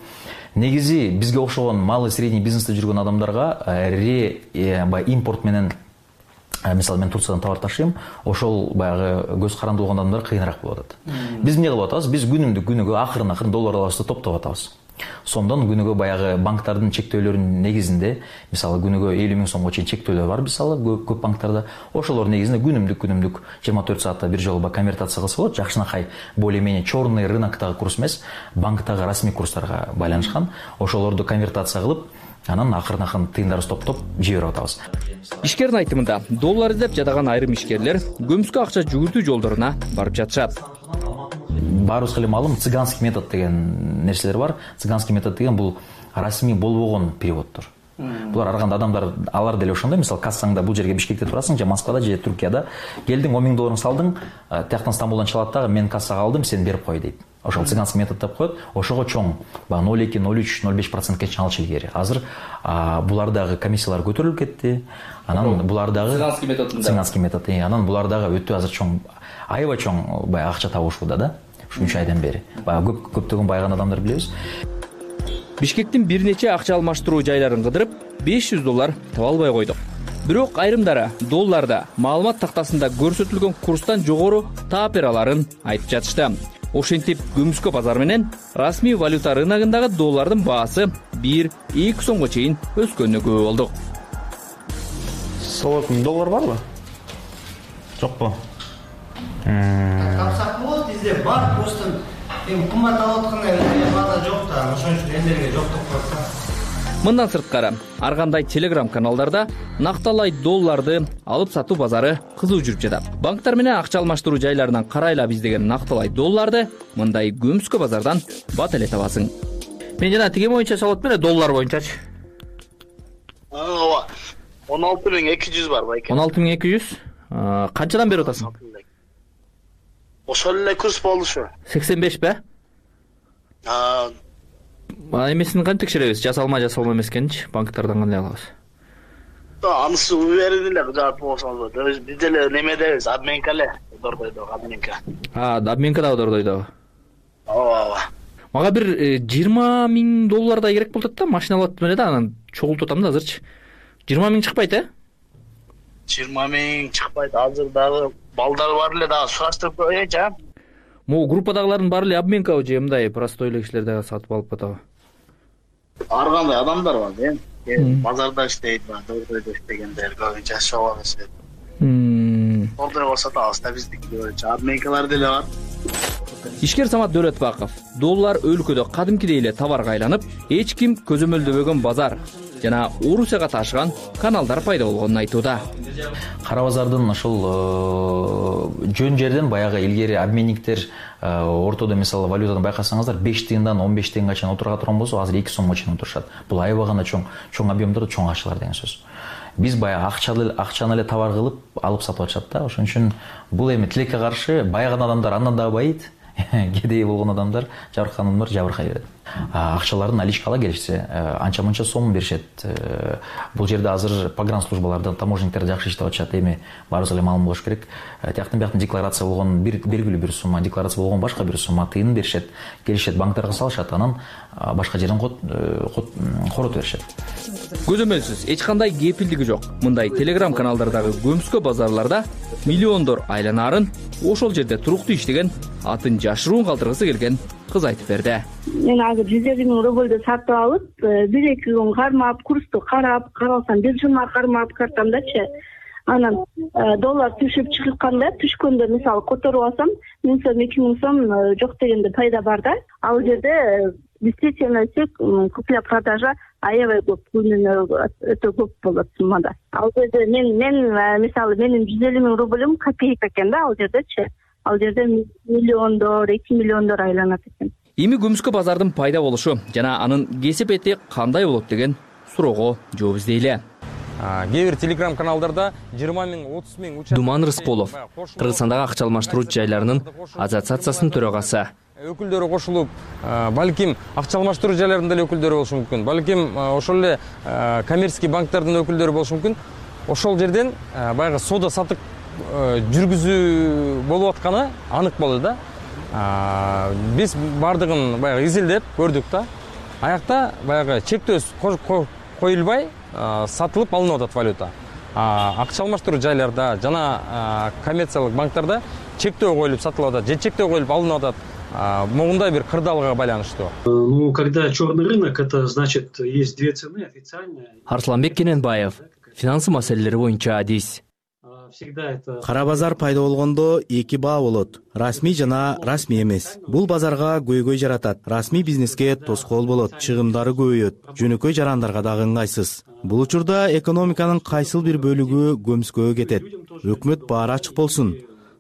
Негизи бизге окшогон малый средний бизнесте жүргөн адамдарга импорт менен мисалы мен Турциядан товар ташыйм, ошол баягы көз каранды болгон адамдар кыйыныраак болуп атат. Биз эмне кылып атабыз? Биз күнүгө акырын доллар алабызды топтоп атабыз. Сомдон күнүгө баягы банктардын чектөөлөрүнүн негизинде, мисалы күнүгө 50 000 сомго чейин чектөөлөр бар, мисалы көп банктарда. Ошолор негизинде күнүмдүк 24 саатта бир жолу конвертация кылса болот. Жакшынакай более-менее черный рыноктогу курс эмес, банктагы расмий курстарга байланышкан. Ошолорду конвертация кылып, анан акырын тыйындарыбызды топтоп жиберип атабыз. Ишкердин айтымында, доллар издеп жатаган айрым ишкерлер көмүскө акча жүгүртүү жолдоруна барып жатышат. Баарыбызга эле маалым, цыганский метод деген нерселер бар. Цыганский метод деген бул расмий болбогон переводдор. Булар ар кандай адамдар, алар деле ошондой, мисалы кассаңда бул жерге Бишкекте турасың, же Москвада, же Түркияда, келдиң $10,000 салдың, тияктан Стамбулдан чалат дагы, мен кассага алдым, сен берип кой дейт. Ошол цыганский метод деп коет. Ошого чоң 0,2, 0,3, 0,5% чалчу илгери. Азыр булардагы комиссиялар көтөрүлүп кетти. Анан булардагы цыганский метод. Анан булардагы өтө азыр чоң, аябай чоң баягы акча табышууда да. Ушул 3 айдан бери. Баягы көптөгөн байган адамдар билебиз. Бишкектин бир нече акча алмаштыруу жайларын кыдырып, $500 таба албай койдук. Бирок айрымдары долларда маалымат тактасында көрсөтүлгөн курстан жогору таап бере аларын айтып жатышты. Ошентип көмүскө базар менен расмий валюта рыногундагы доллардын баасы 1-2 сомго чейин өскөнүнө күбө болдук. Салатын доллар барбы? Жокпу? Тапсак болот, бизде бар, просто эми кымбат алып аткандай база жок да, ошон үчүн элдерге жок деп коет. Мындан сырткары, ар кандай телеграм каналдарда накталай долларды алып сатуу базары кызуу жүрүп жатат. Банктар менен акча алмаштыруу жайларынан карайлап издеген накталай долларды мындай көмүскө базардан бат эле табасың. Мен жана тиги боюнча салат менен доллар боюнчачы. Ооба. 16,200 бар байке. 16,200? Канчадан берип атасың? Ошол эле курс болушу. 85 бе? Эмесин кантип текшеребиз? Жасалма эмес экенчи, банктардан кандай алабыз? Анысы уверен эле жаап болсоңуз болот. Биз деле немедебиз, обменка эле, дордойдо, обменка. Обменка да дордойдо. Ооба. Мага бир 20 000 доллардай керек болуп атат да, машина алып атам эле да, анан чогултуп атам да азырчы. 20 000 чыкпайт, 20 000 чыкпайт. Азыр дагы балдар бар эле, дагы сураштырып коеюнчу, а? Могу группадагылардын баары эле обменкабы же мындай простой эле кишилер дагы сатып алып атабы? Ар кандай адамдар бар, базарда иштейт, дордойдо иштегендер, көбүнчө ошого эсеп. Дордой болсо да алыста биздики көбүнчө обменкалар деле бар. Ишкер Самат Дөөлөтбаков, доллар өлкөдө кадимкидей эле товарга айланып, эч ким көзөмөлдөбөгөн базар жана Орусияга ташыган каналдар пайда болгонун айтууда. Кара базардын ошол жөн жерден баягы илгери обменниктер ортодо мисалы валютаны байкасаңыздар 5 тыйындан 15 тыйынга чейин отурга турган болсо, азыр 2 сомго чейин отурушат. Бул аябай гана чоң объемдордо чоң акчалар деген сөз. Биз баягы акчаны эле товар кылып алып сатып атышат да. Ошон үчүн бул эми тилекке каршы байыган адамдар андан дагы байыйт. Кедей болгон адамдар, жабыркаган адамдар жабыркай берет. Акчаларын наличкага келишсе, анча-мынча сом беришет. Бул жерде азыр погранслужбалардан таможниктер жакшы иштеп атышат. Эми баарыбызга эле маалым болуш керек. Тияктан бияктан декларация болгон белгилүү бир сумма, декларация болгон башка бир сумма тыйын беришет. Келишет, банктарга салышат, анан башка жерден коротуп беришет. Көзөмөлсүз эч кандай кепилдиги жок. Мындай телеграм каналдардагы көмскө базарларда миллиондор айланаарын ошол жерде туруктуу иштеген, атын жашыруун калтыргысы келген кыз айтып берди. Мен азыр 150 000 рубльду сатып алып, 1-2 күн кармап, курсту карасам, бир жума кармап картамдачы. Анан доллар түшүп чыкканда, түшкөндө мисалы которуп алсам, 1000 сом, 2000 сом жок дегенде пайда бар да. Ал жерде действительно купля-продажа аябай көп, өтө көп болот суммада. Ал жерде мен мисалы менин 150 000 рубльм копейка экен да, ал жердечи. Ал жерде миллиондор, 2 миллиондор айланат экен. Эми көмскө базардын пайда болушу жана анын кесип эти кандай болот деген суроого жооп издейле. Кээ бир телеграм каналдарда 20 000, 30 000 участок. Думан Рысполов, Кыргызстандагы акча алмаштыруу жайларынын ассоциациясынын төрагасы. Өкүлдөрү кошулуп, балким акча алмаштыруу жайларынын деле өкүлдөрү болушу мүмкүн. Балким ошол эле коммерческий банктардын өкүлдөрү болушу мүмкүн. Ошол жерден баягы соода сатык жүргүзүү болуп атканы анык болду да. Биз бардыгын баягы изилдеп көрдүк да. Аякта баягы чектөө коюлбай сатылып алынып атат валюта. Акча алмаштыруу жайларда жана коммерциялык банктарда чектөө коюлуп сатылып атат, же чектөө коюлуп алынып атат. Могундай бир кырдаалга байланыштуу. Ну, когда черный рынок, это значит, есть две цены официальные. Арсланбек Кененбаев, финансы маселелери боюнча адис. Кара базар пайда болгондо эки баа болот. Расмий жана расмий эмес. Бул базарга көйгөй жаратат. Расмий бизнеске тоскоол болот, чыгымдары көбөйөт. Жөнөкөй жарандарга дагы ыңгайсыз. Бул учурда экономиканын кайсыл бир бөлүгү көмскөгө кетет. Өкмөт баары ачык болсун.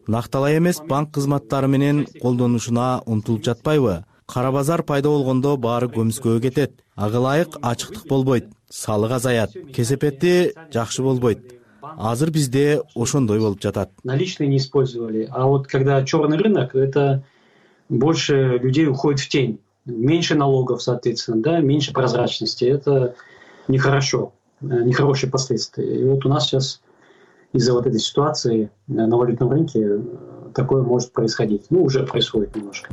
Накталай эмес банк кызматтары менен колдонушуна умтулуп жатпайбы? Кара базар пайда болгондо баары көмскөгө кетет. Ага ылайык ачыктык болбойт, салык азаят, кесепети жакшы болбойт. Азыр бизде ошондой болуп жатат. Наличные не использовали, а вот когда черный рынок, это больше людей уходит в тень. Меньше налогов, соответственно, да, меньше прозрачности. Это нехорошо, нехорошие последствия. И вот у нас сейчас из-за вот этой ситуации на валютном рынке такое может происходить. Ну, уже происходит немножко.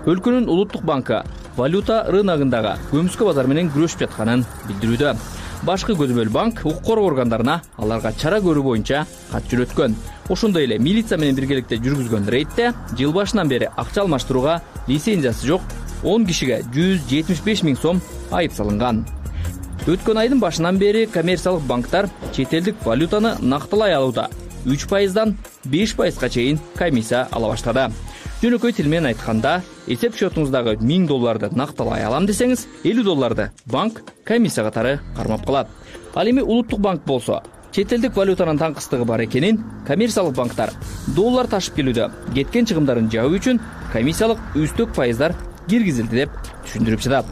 Өлкөнүн улуттук банкы валюта рыногундагы көмскө базар менен күрөшүп жатканын билдирүүдө. Башкы көзөмөл банк укук коргоо органдарына аларга чара көрүү боюнча кат жөнөткөн. Ошондой эле милиция менен биргеликте жүргүзгөн рейдте жыл башынан бери акча алмаштырууга лицензиясы жок 10 кишиге 175 000 сом айып салынган. Өткөн айдын башынан бери коммерциялык банктар чет элдик валютаны накталай алууда 3%дан 5%га чейин комиссия ала баштады. Жөнөкөй тил менен айтканда, эсеп счетуңуздагы 1000 долларды накталай алам десеңиз, 50 долларды банк комиссия катары кармап калат. Ал эми улуттук банк болсо, чет элдик валютанын таңкыстыгы бар экенин коммерциялык банктар доллар ташып келүүдө кеткен чыгымдарын жабуу үчүн комиссиялык үстөк пайыздар киргизилди деп түшүндүрүп жатат.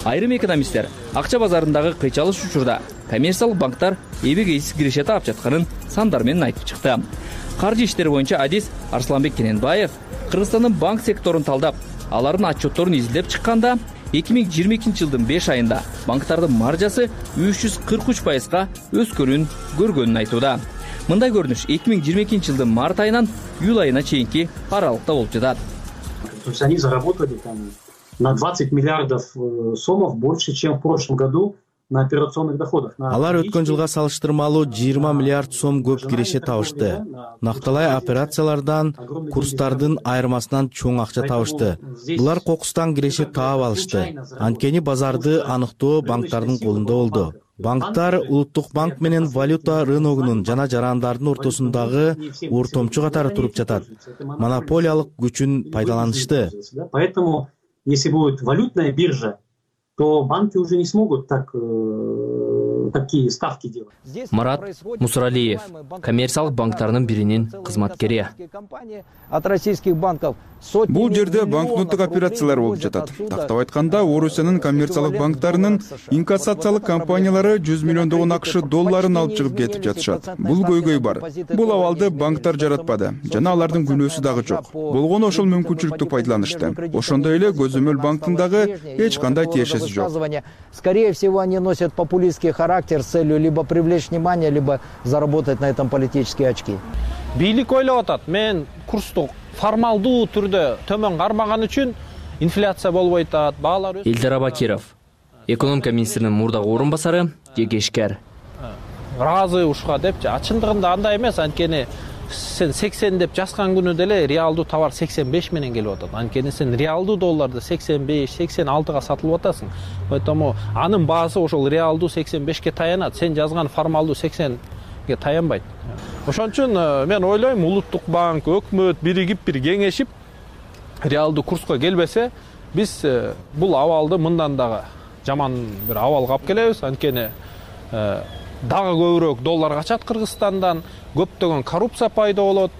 Айрым экономисттер акча базарындагы кыйчалыш учурда коммерциялык банктар эбегейсиз киреше таап жатканын сандар менен айтып чыкты. Каржы иштери боюнча адис Арсланбек Кененбаев Кыргызстандын банк секторун талдап, алардын отчетторун изилдеп чыкканда, 2022 жылдын 5 айында банктардын маржасы 343%га өскөнүн көргөнүн айтууда. Мындай көрүнүш 2022 жылдын март айынан июль айына чейинки аралыкта болуп жатат. То есть они заработали там на 20 миллиардов сомов больше, чем в прошлом году на операционных доходах. Алар өткөн жылга салыштырмалуу 20 миллиард сом көп киреше табышты. Накталай операциялардан, курстардын айырмасынан чоң акча табышты. Булар кокустан киреше таап алышты. Анткени базарды аныктоо банктардын колунда болду. Банктар Улуттук банк менен валюта рыногунун жана жарандардын ортосундагы ортомчу катары туруп жатат. Монополиялык күчүн пайдаланышты. Поэтому, если будет валютная биржа, то банки уже не смогут такие ставки делать. Марат Мусралиев, коммерциялык банктардын биринин кызматкери. От российских банков бул жерде банкноттук операциялар болуп жатат. Тактап айтканда, Орусиянын коммерциялык банктарынын инкассациялык компаниялары 100 миллиондогон АКШ долларын алып чыгып кетип жатышат. Бул көйгөй бар. Бул абалды банктар жаратпады жана алардын күнөөсү дагы жок. Болгону ошол мүмкүнчүлүктү пайдаланышты. Ошондой эле Көзөмөл банктын дагы эч кандай тиешеси жок. Скорее всего, они носят популистский характер с целью либо привлечь внимание, либо заработать на этом политические очки. Бийлик ойлоп атат, мен курсту формалдуу түрдө төмөн кармаган үчүн инфляция болбойт атат, баалар өсөт. Элдар Абакиров, экономика министринин мурдагы орун басары, жекешкер. Разы ушуга депчи, чындыгында андай эмес, анткени сен 80 деп жазган күнү деле реалдуу товар 85 менен келип атат. Анткени сен реалдуу долларды 85-86га сатылып атасың. Поэтому анын баасы ошол реалдуу 85ке таянат. Сен жазган формалдуу 80ге таянбайт. Ошон үчүн мен ойлойм, Улуттук банк, өкмөт биригип бир кеңешип реалдуу курска келбесе, биз бул абалды мындан дагы жаман бир абалга алып келебиз. Анткени дагы көбүрөөк доллар качат Кыргызстандан, көптөгөн коррупция пайда болот,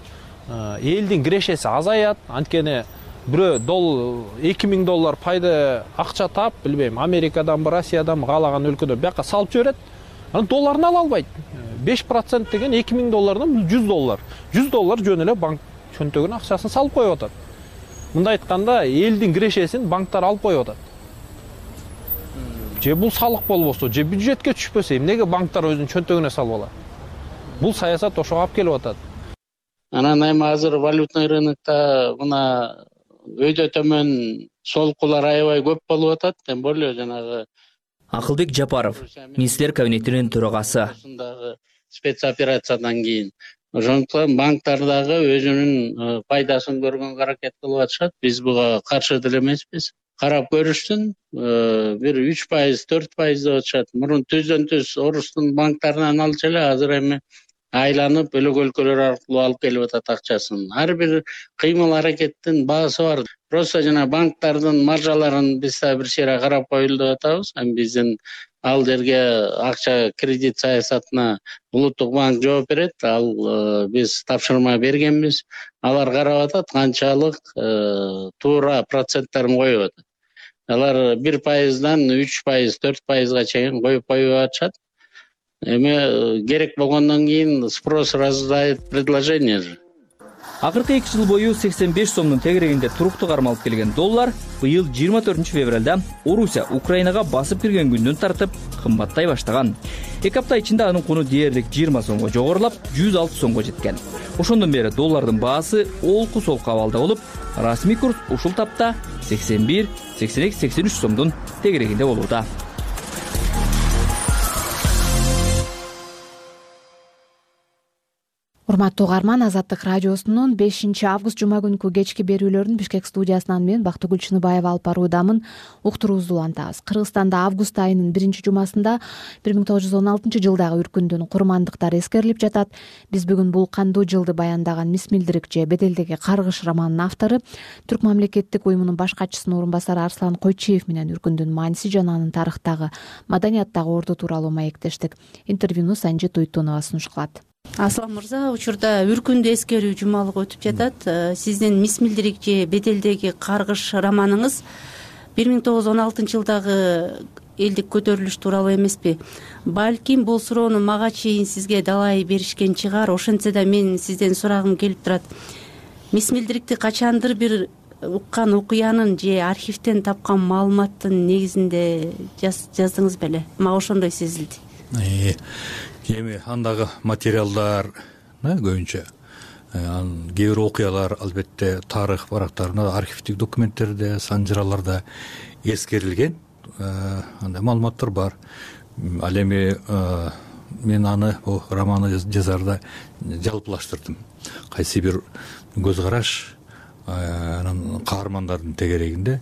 элдин кирешеси азаят. Анткени бирөө 2000 доллар пайда акча таап, билбейм, Америкадан, Россиядан каалаган өлкөдө бияка салып жиберет. Анан долларын ала албайт. 5% деген 2000 доллардан 100 доллар. 100 доллар жөн эле банк чөнтөгүнө акчасын салып коюп атат. Мында айтканда, элдин кирешесин банктар алып коюп атат. Же бул салык болбосо, же бюджетке түшпөсө, эмнеге банктар өзүнүн чөнтөгүнө салып алат? Бул саясат ошого алып келип атат. Анан эми азыр валютный рынокто мына өйдө төмөн солкулар аябай көп болуп атат. Тем более жанагы Акылбек Жапаров, министрлер кабинетинин төрагасы. Спецоперациядан кийин ошондуктан банктар дагы өзүнүн пайдасын көргөнгө аракет кылып атышат. Биз буга каршы деле эмеспиз. Карап көрүштүн, бир 3%, 4% деп атышат. Мурун түздөн түз Орустун банктарынан алчу эле, азыр эми айланып бөлөк өлкөлөр аркылуу алып келип атат акчасын. Ар бир кыймыл аракеттин баасы бар. Просто жана банктардын маржаларын биз да бир чейре карап коелу деп атабыз. Биздин ал жерге акча кредит саясатына Улуттук банк жооп берет. Ал биз тапшырма бергенбиз. Алар карап атат канчалык туура проценттерин коюп атат. Алар 1%дан 3%, 4%га чейин коюп атышат. Эми керек болгондон кийин спрос рождает предложение же. Акыркы 2 жыл бою 85 сомдун тегерегинде туруктуу кармалып келген доллар быйыл 24 февралда Орусия Украинага басып кирген күндөн тартып кымбаттай баштаган. 2 апта ичинде анын куну дээрлик 20 сомго жогорулап 106 сомго жеткен. Ошондон бери доллардын баасы олку-солку абалда болуп, расмий курс ушул тапта 81, 82, 83 сомдун тегерегинде болууда. Урматтуу угарман, Азаттык радиосунун 5-август жума күнкү кечки берүүлөрүн Бишкек студиясынан мен Бактыгүл Чыныбаева алып баруудамын. Уктуруубузду улантабыз. Кыргызстанда август айынын 1-жумасында 1916 жылдагы үркүндүн курмандыктары эскерилип жатат. Биз бүгүн бул кандуу жылды баяндаган Мисмилдирик же Беделдеги каргыш романынын автору, Түрк мамлекеттик уюмунун баш катчысынын орун басары Арслан Койчиев менен үркүндүн мааниси жана анын тарыхтагы, маданияттагы орду тууралуу маектештик. Интервьюну Санжи Туйтунова сунуш кылат. Аслан мырза, учурда үркүндү эскерүү жумалыгы өтүп жатат. Сиздин Мисмилдирик же Беделдеги каргыш романыңыз 1916 жылдагы элдик көтөрүлүш тууралуу эмеспи? Балким бул суроону мага чейин сизге далай беришкен чыгар. Ошентсе да мен сизден сурагым келип турат. Мисмилдирикти качандыр бир уккан окуянын же архивден тапкан маалыматтын негизинде жаздыңыз беле? Мага ошондой сезилди. Эми андагы материалдар көбүнчө Анан кээ бир окуялар албетте тарых барактарында, архивдик документтерде, санжыраларда эскерилген андай маалыматтар бар. Ал эми мен аны романы жазарда жалпылаштырдым. Кайсы бир көз караш анан каармандардын тегерегинде.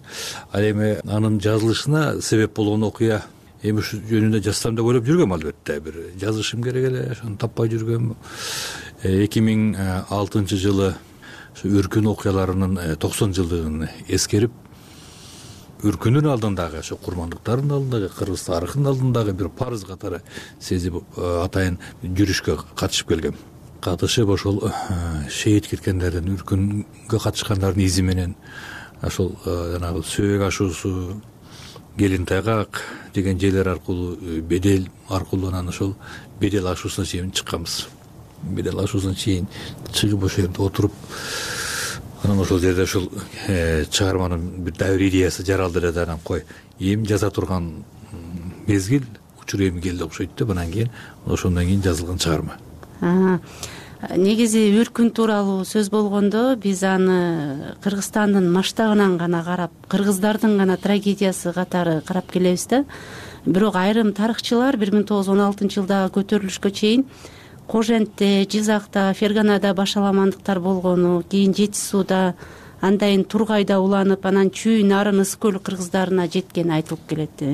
Ал эми анын жазылышына себеп болгон окуя эми ушу жөнүндө жазсам деп ойлоп жүргөм, албетте бир жазышым керек эле, ошону таппай жүргөм. 2006 жылы Үркүн окуяларынын 90 жылдыгын эскерип, Үркүндүн алдындагы, ошо курмандыктардын алдындагы, кыргыз тарыхынын алдындагы бир парыз катары сезип атайын жүрүшкө катышып келгем. Катышып ошол шейит кеткендердин, Үркүнгө катышкандардын изи менен ошол жанагы Сөбөк ашуусу, Келин Тайгак деген жерлер аркылуу, Бедел аркылуу анан ошол Бедел ашуусуна чейин чыкканбыз. Бедел ашуусуна чейин чыгып ошол жерде отуруп, анан ошол жерде ушул чыгарманын бир дайыр идеясы жаралды эле да. Анан кой, эми жаза турган мезгил, учур эми келди окшойт деп, анан кийин ошондон кийин жазылган чыгарма. Негизи Үркүн тууралуу сөз болгондо биз аны Кыргызстандын масштабынан гана карап, кыргыздардын гана трагедиясы катары карап келебиз да. Бирок айрым тарыхчылар 1916 жылдагы көтөрүлүшкө чейин Кожентте, Жизакта, Ферганада башаламандыктар болгону, кийин Жети сууда, андайын Тургайда уланып, анан Чүй, Нарын, Ысык көл кыргыздарына жеткени айтылып келет.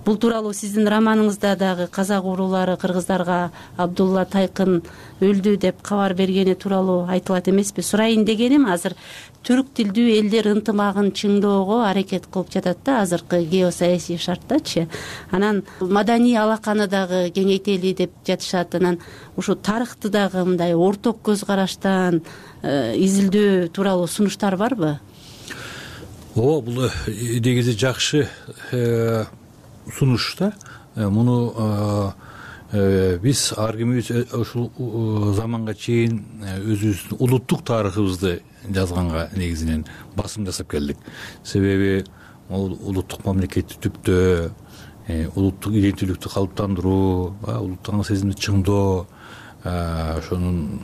Бул тууралуу сиздин романыңызда дагы казак уруулары кыргыздарга Абдулла Тайкын өлдү деп кабар бергени тууралуу айтылат эмеспи? Сурайын дегеним, азыр түрк тилдүү элдер ынтымагын чыңдоого аракет кылып жатат да азыркы геосаясий шарттачы. Анан маданий алаканы дагы кеңейтели деп жатышат. Анан ушу тарыхты дагы мындай орток көз караштан изилдөө тууралуу сунуштар барбы? Бул негизи жакшы сунуш да. Муну биз ар кимибиз ушул заманга чейин өзүбүздүн улуттук тарыхыбызды жазганга негизинен басым жасап келдик. Себеби улуттук мамлекетти түптөө, улуттук иденттүүлүктү калыптандыруу, улуттук сезимди чыңдоо, ошонун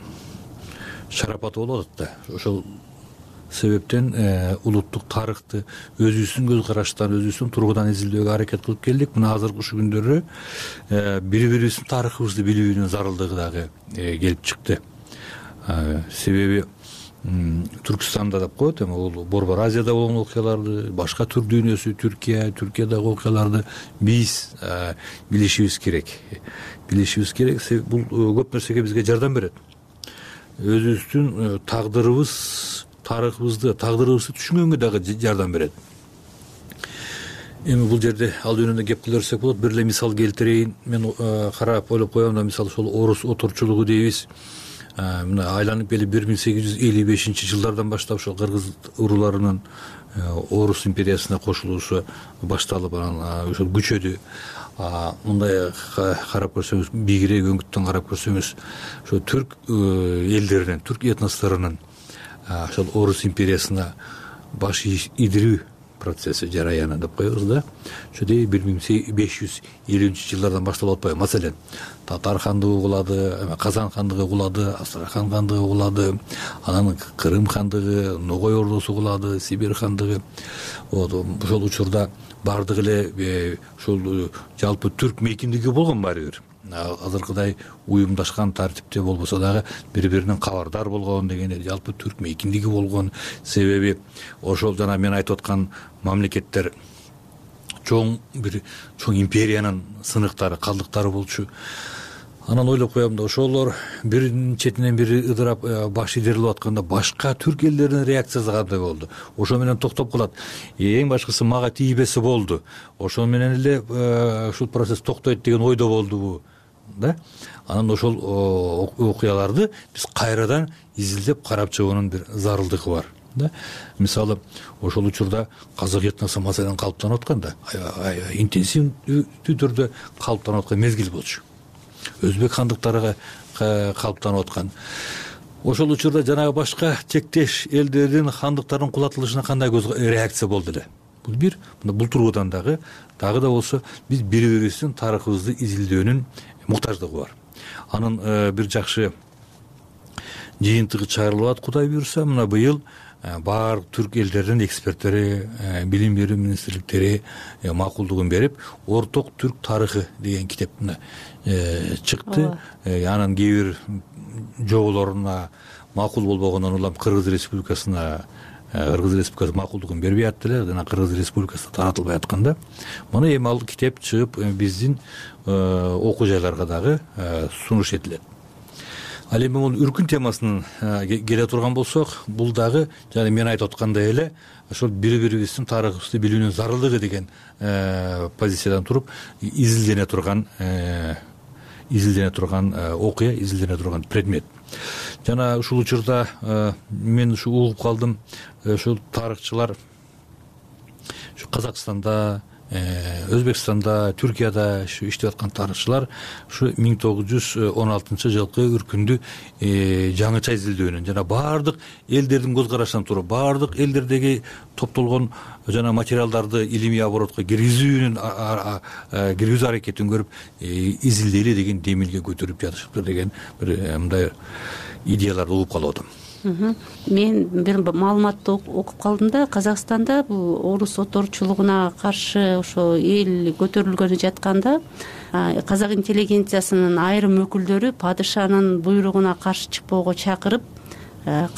шарапаты болот да. Ошол себептен улуттук тарыхты өзүбүздүн көз караштан, өзүбүздүн тургудан изилдөөгө аракет кылып келдик. Мына азыркы ушул күндөрү бири-бирибиздин тарыхыбызды билүүнүн зарылдыгы дагы келип чыкты. Себеби Түркстанда деп коет, эми бул Борбор Азияда болгон окуяларды, башка түрк дүйнөсү, Түркиядагы окуяларды биз билишибиз керек. Билишибиз керек. Бул көп нерсеге бизге жардам берет. Өзүбүздүн тарыхыбызды түшүнгөнгө дагы жардам берет. Эми бул жерде ал жөнүндө кеп кылып болот. Бир эле мисал келтирейин. Мен карап ойлоп коем да, мисалы ошол орус отурчулугу дейбиз. Мына айланып келип 1855 жылдардан баштап ошол кыргыз урууларынын Орус империясына кошулуусу башталып, анан ошол күчөдү. Мындай карап көрсөңүз, бийигирээк өңүттөн карап көрсөңүз, ошо түрк элдеринин, түрк этносторунун ошол Орус империясына баш идирүү процесси, жараяны деп коебуз да. Ошо 1550 жылдардан башталып атпайбы? Маселен, Татар хандыгы кулады, Казан хандыгы кулады, Астрахан хандыгы кулады, анан Кырым хандыгы, Ногой ордосу кулады, Сибирь хандыгы. Ошол учурда бардык эле ушул жалпы түрк мейкиндиги болгон баары бир. Азыркыдай уюмдашкан тартипте болбосо дагы бири-биринен кабардар болгон дегендей жалпы түрк мейкиндиги болгон. Себеби ошол жана мен айтып аткан мамлекеттер чоң империянын сыныктары, калдыктары болчу. Анан ойлоп коем да, ошолор биринин четинен бири ыдырап баш идерилип атканда башка түрк элдеринин реакциясы кандай болду? Ошо менен токтоп калат. Эң башкысы мага тийбесе болду. Ошол менен эле ушул процесс токтойт деген ойдо болдубу? Да? Анан ошол окуяларды биз кайрадан изилдеп карап чыгуунун бир зарылдыгы бар. Да? Мисалы, ошол учурда казак этносу маселен калыптанып атканда, интенсивдүү түрдө калыптанып аткан мезгил болчу. Өзбек хандыктары калыптанып аткан. Ошол учурда жанагы башка чектеш элдердин хандыктардын кулатылышына кандай реакция болду эле? Бул бир, бул тургудан дагы да болсо биз бири-бирибиздин тарыхыбызды изилдөөнүн муктаждыгы бар. Анын бир жакшы жыйынтыгы чыгарылып атат. Кудай буюрса мына быйыл баардык түрк элдеринин эксперттери, билим берүү министрликтери макулдугун берип, орток түрк тарыхы деген китеп чыкты. Анын кээ бир жоболоруна макул болбогондон улам Кыргыз Республикасы макулдугун бербей атты эле, жана Кыргыз Республикасында таратылбай атканда. Муну эми ал китеп чыгып биздин окуу жайларга дагы сунуш этилет. Ал эми бул үркүн темасынан келе турган болсок, бул дагы жана мен айтып аткандай эле ошол бири-бирибиздин тарыхыбызды билүүнүн зарылдыгы деген позициядан туруп изилдене турган окуя, изилдене турган предмет. Жана ушул учурда мен ушу угуп калдым, ушул тарыхчылар ушу Казакстанда, Өзбекстанда, Түркияда иштеп аткан тарыхчылар ушу 1916 жылкы үркүндү жаңыча изилдөөнүн жана баардык элдердин көз карашынан туруп, баардык элдердеги топтолгон жана материалдарды илимий оборотко киргизүү аракетин көрүп изилдейли деген демилге көтөрүп жатышыптыр деген бир мындай идеяларды угуп калып атам. Мен бир маалыматты окуп калдым да, Казакстанда бул орус оторчулугуна каршы ошо эл көтөрүлгөнү жатканда казак интеллигенциясынын айрым өкүлдөрү падышанын буйругуна каршы чыкпоого чакырып,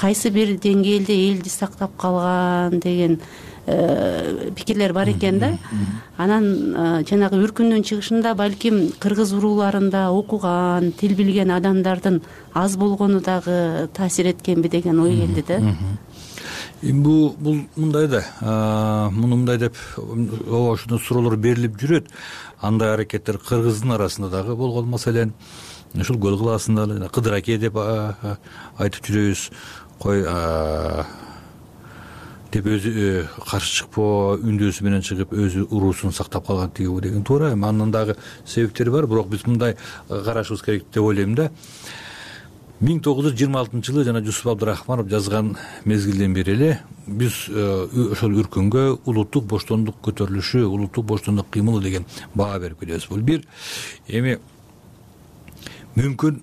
кайсы бир деңгээлде элди сактап калган деген пикирлер бар экен да. Анан жанагы үркүндүн чыгышында балким кыргыз урууларында окуган, тил билген адамдардын аз болгону дагы таасир эткенби деген ой келди да. Бул мындай да, муну мындай деп ошондой суроолор берилип жүрөт. Андай аракеттер кыргыздын арасында дагы болгон, маселен ушул көл кылаасында Кыдыр аке деп айтып жүрөбүз. Кой деп өзү каршы чыкпоо, үндөөсү менен чыгып өзү уруусун сактап калган тиги деген туура. Анын дагы себептери бар, бирок биз мындай карашыбыз керек деп ойлойм да. 1926 жана Жусуп Абдырахманов жазган мезгилден бери эле биз ошол үркүнгө улуттук боштондук көтөрүлүшү, улуттук боштондук кыймылы деген баа берип келебиз. Бул бир эми мүмкүн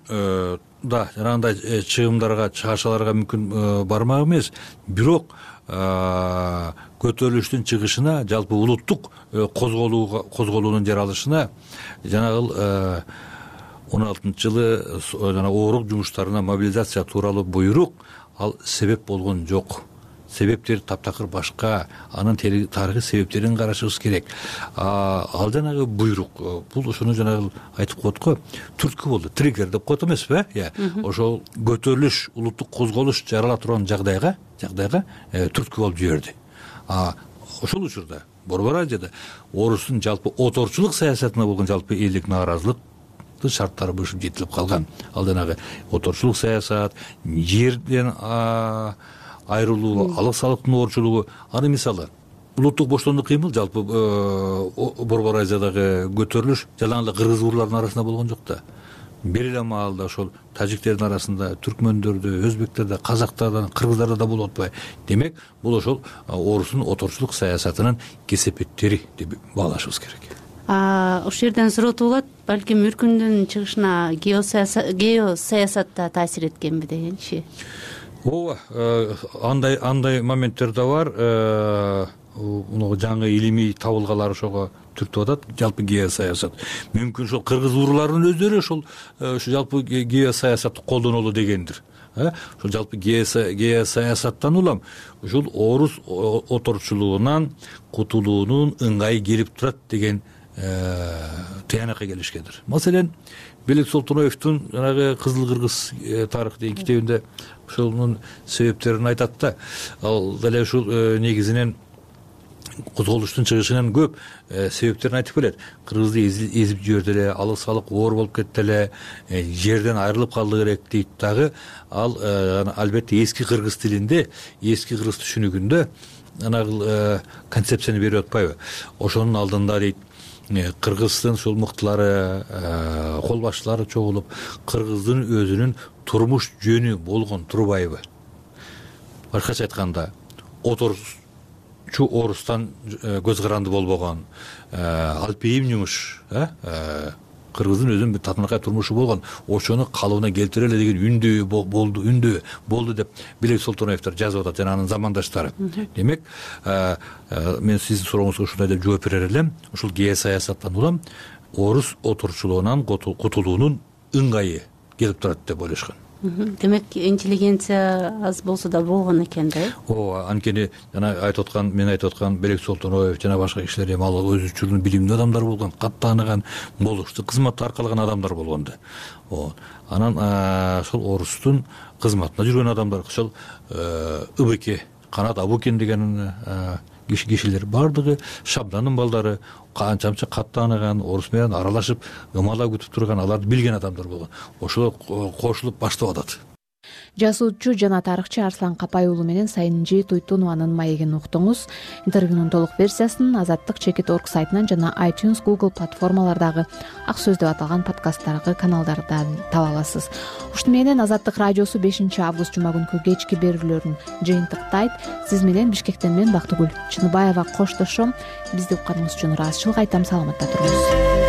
да жанагындай чыгымдарга, чыгашаларга мүмкүн бармак эмес, бирок көтөрүлүштүн чыгышына, жалпы улуттук козголуунун жаралышына жанагы 16-жылы жана оорук жумуштарына мобилизация тууралуу буйрук ал себеп болгон жок. Себептери таптакыр башка, анын тарыхый себептерин карашыбыз керек. Ал жанагы буйрук, бул ошону жанагы айтып коет го, түрткү болду, триггер деп коет эмеспи? Ошол көтөрүлүш, улуттук козголуш жарала турган жагдайга түрткү болуп жиберди. Ошол учурда Борбор Азияда орустун жалпы оторчулук саясатына болгон жалпы элдик нааразылык шарттары бышып жетилип калган. Ал жанагы оторчулук саясат, жерден айрылуу, алык салыктын оорчулугу, аны мисалы улуттук боштондук кыймыл жалпы Борбор Азиядагы көтөрүлүш жалаң эле кыргыз урууларынын арасында болгон жок да. Бир эле маалда ошол тажиктердин арасында, түркмөндөрдө, өзбектерде, казактарда, кыргыздарда да болуп атпайбы? Демек, бул ошол орустун оторчулук саясатынын кесепеттери деп баалашыбыз керек. Ошол жерден суроо болот, балким үркүндүн чыгышына геосаясат да таасир эткенби дегенчи. Ооба, андай моменттер да бар. Жаңы илимий табылгалар ошого түртүп атат, жалпы геосаясат. Мүмкүн ошол кыргыз урууларынын өздөрү ошол жалпы геосаясатты колдонолу дегендир. Ошол жалпы геосаясаттан улам ушул орус оторчулугунан кутулуунун ыңгайы келип турат деген тыянакка келишкендир. Маселен, Белек Солтоноевдун жанагы Кызыл Кыргыз тарых деген китебинде ошонун себептерин айтат да. Ал деле ушул негизинен козголуштун чыгышынан көп себептерин айтып келет. Кыргызды эзип жиберди эле, алык салык оор болуп кетти эле, жерден айрылып калды керек дейт дагы. Ал албетте эски кыргыз тилинде, эски кыргыз түшүнүгүндө анагы концепцияны берип атпайбы? Ошонун алдында дейт, кыргыздын ушул мыктылары, кол башчылары чогулуп, кыргыздын өзүнүн турмуш жөнү болгон турбайбы? Башкача айтканда, орустан көз каранды болбогон, алпейим жумуш, кыргыздын өзүнүн бир татынакай турмушу болгон, ошону калыбына келтире эле деген үндөө болду деп Белек Солтоноевдер жазып атат жана анын замандаштары. Демек, мен сиздин сурооңузга ушундай деп жооп берер элем. Ушул геосаясаттан улам орус отурчулугунан кутулуунун ыңгайы келип турат деп ойлошкон. Демек, интеллигенция аз болсо да болгон экен да. Ооба, анткени жана мен айтып аткан Белек Солтоноев жана башка кишилер эми ал өзүчүлүгүн билимдүү адамдар болгон, каттааныган, болуштуу кызматта аркалаган адамдар болгон да. Анан ошол орустун кызматына жүргөн адамдар, ошол ыбеке, Канат Абукен деген кишилер бардыгы Шабданын балдары, канча каттааныган, орус менен аралашып, ымалап күтүп турган, аларды билген адамдар болгон. Ошол кошулуп баштап атат. Жазуучу жана тарыхчы Арслан Капай уулу менен Сайынжи Туйтунованын маегин уктуңуз. Интервьюнун толук версиясын Азаттык.org сайтынан жана iTunes, Google платформалардагы Ак сөз деп аталган подкасттаргы каналдардан таба аласыз. Ушуну менен Азаттык радиосу 5-август жума күнкү кечки берүүлөрүн жыйынтыктайт. Сиз менен Бишкектен мен Бактыгүл Чыныбаева коштошом. Бизди укканыңыз үчүн ыраазычылык айтам. Саламатта туруңуз.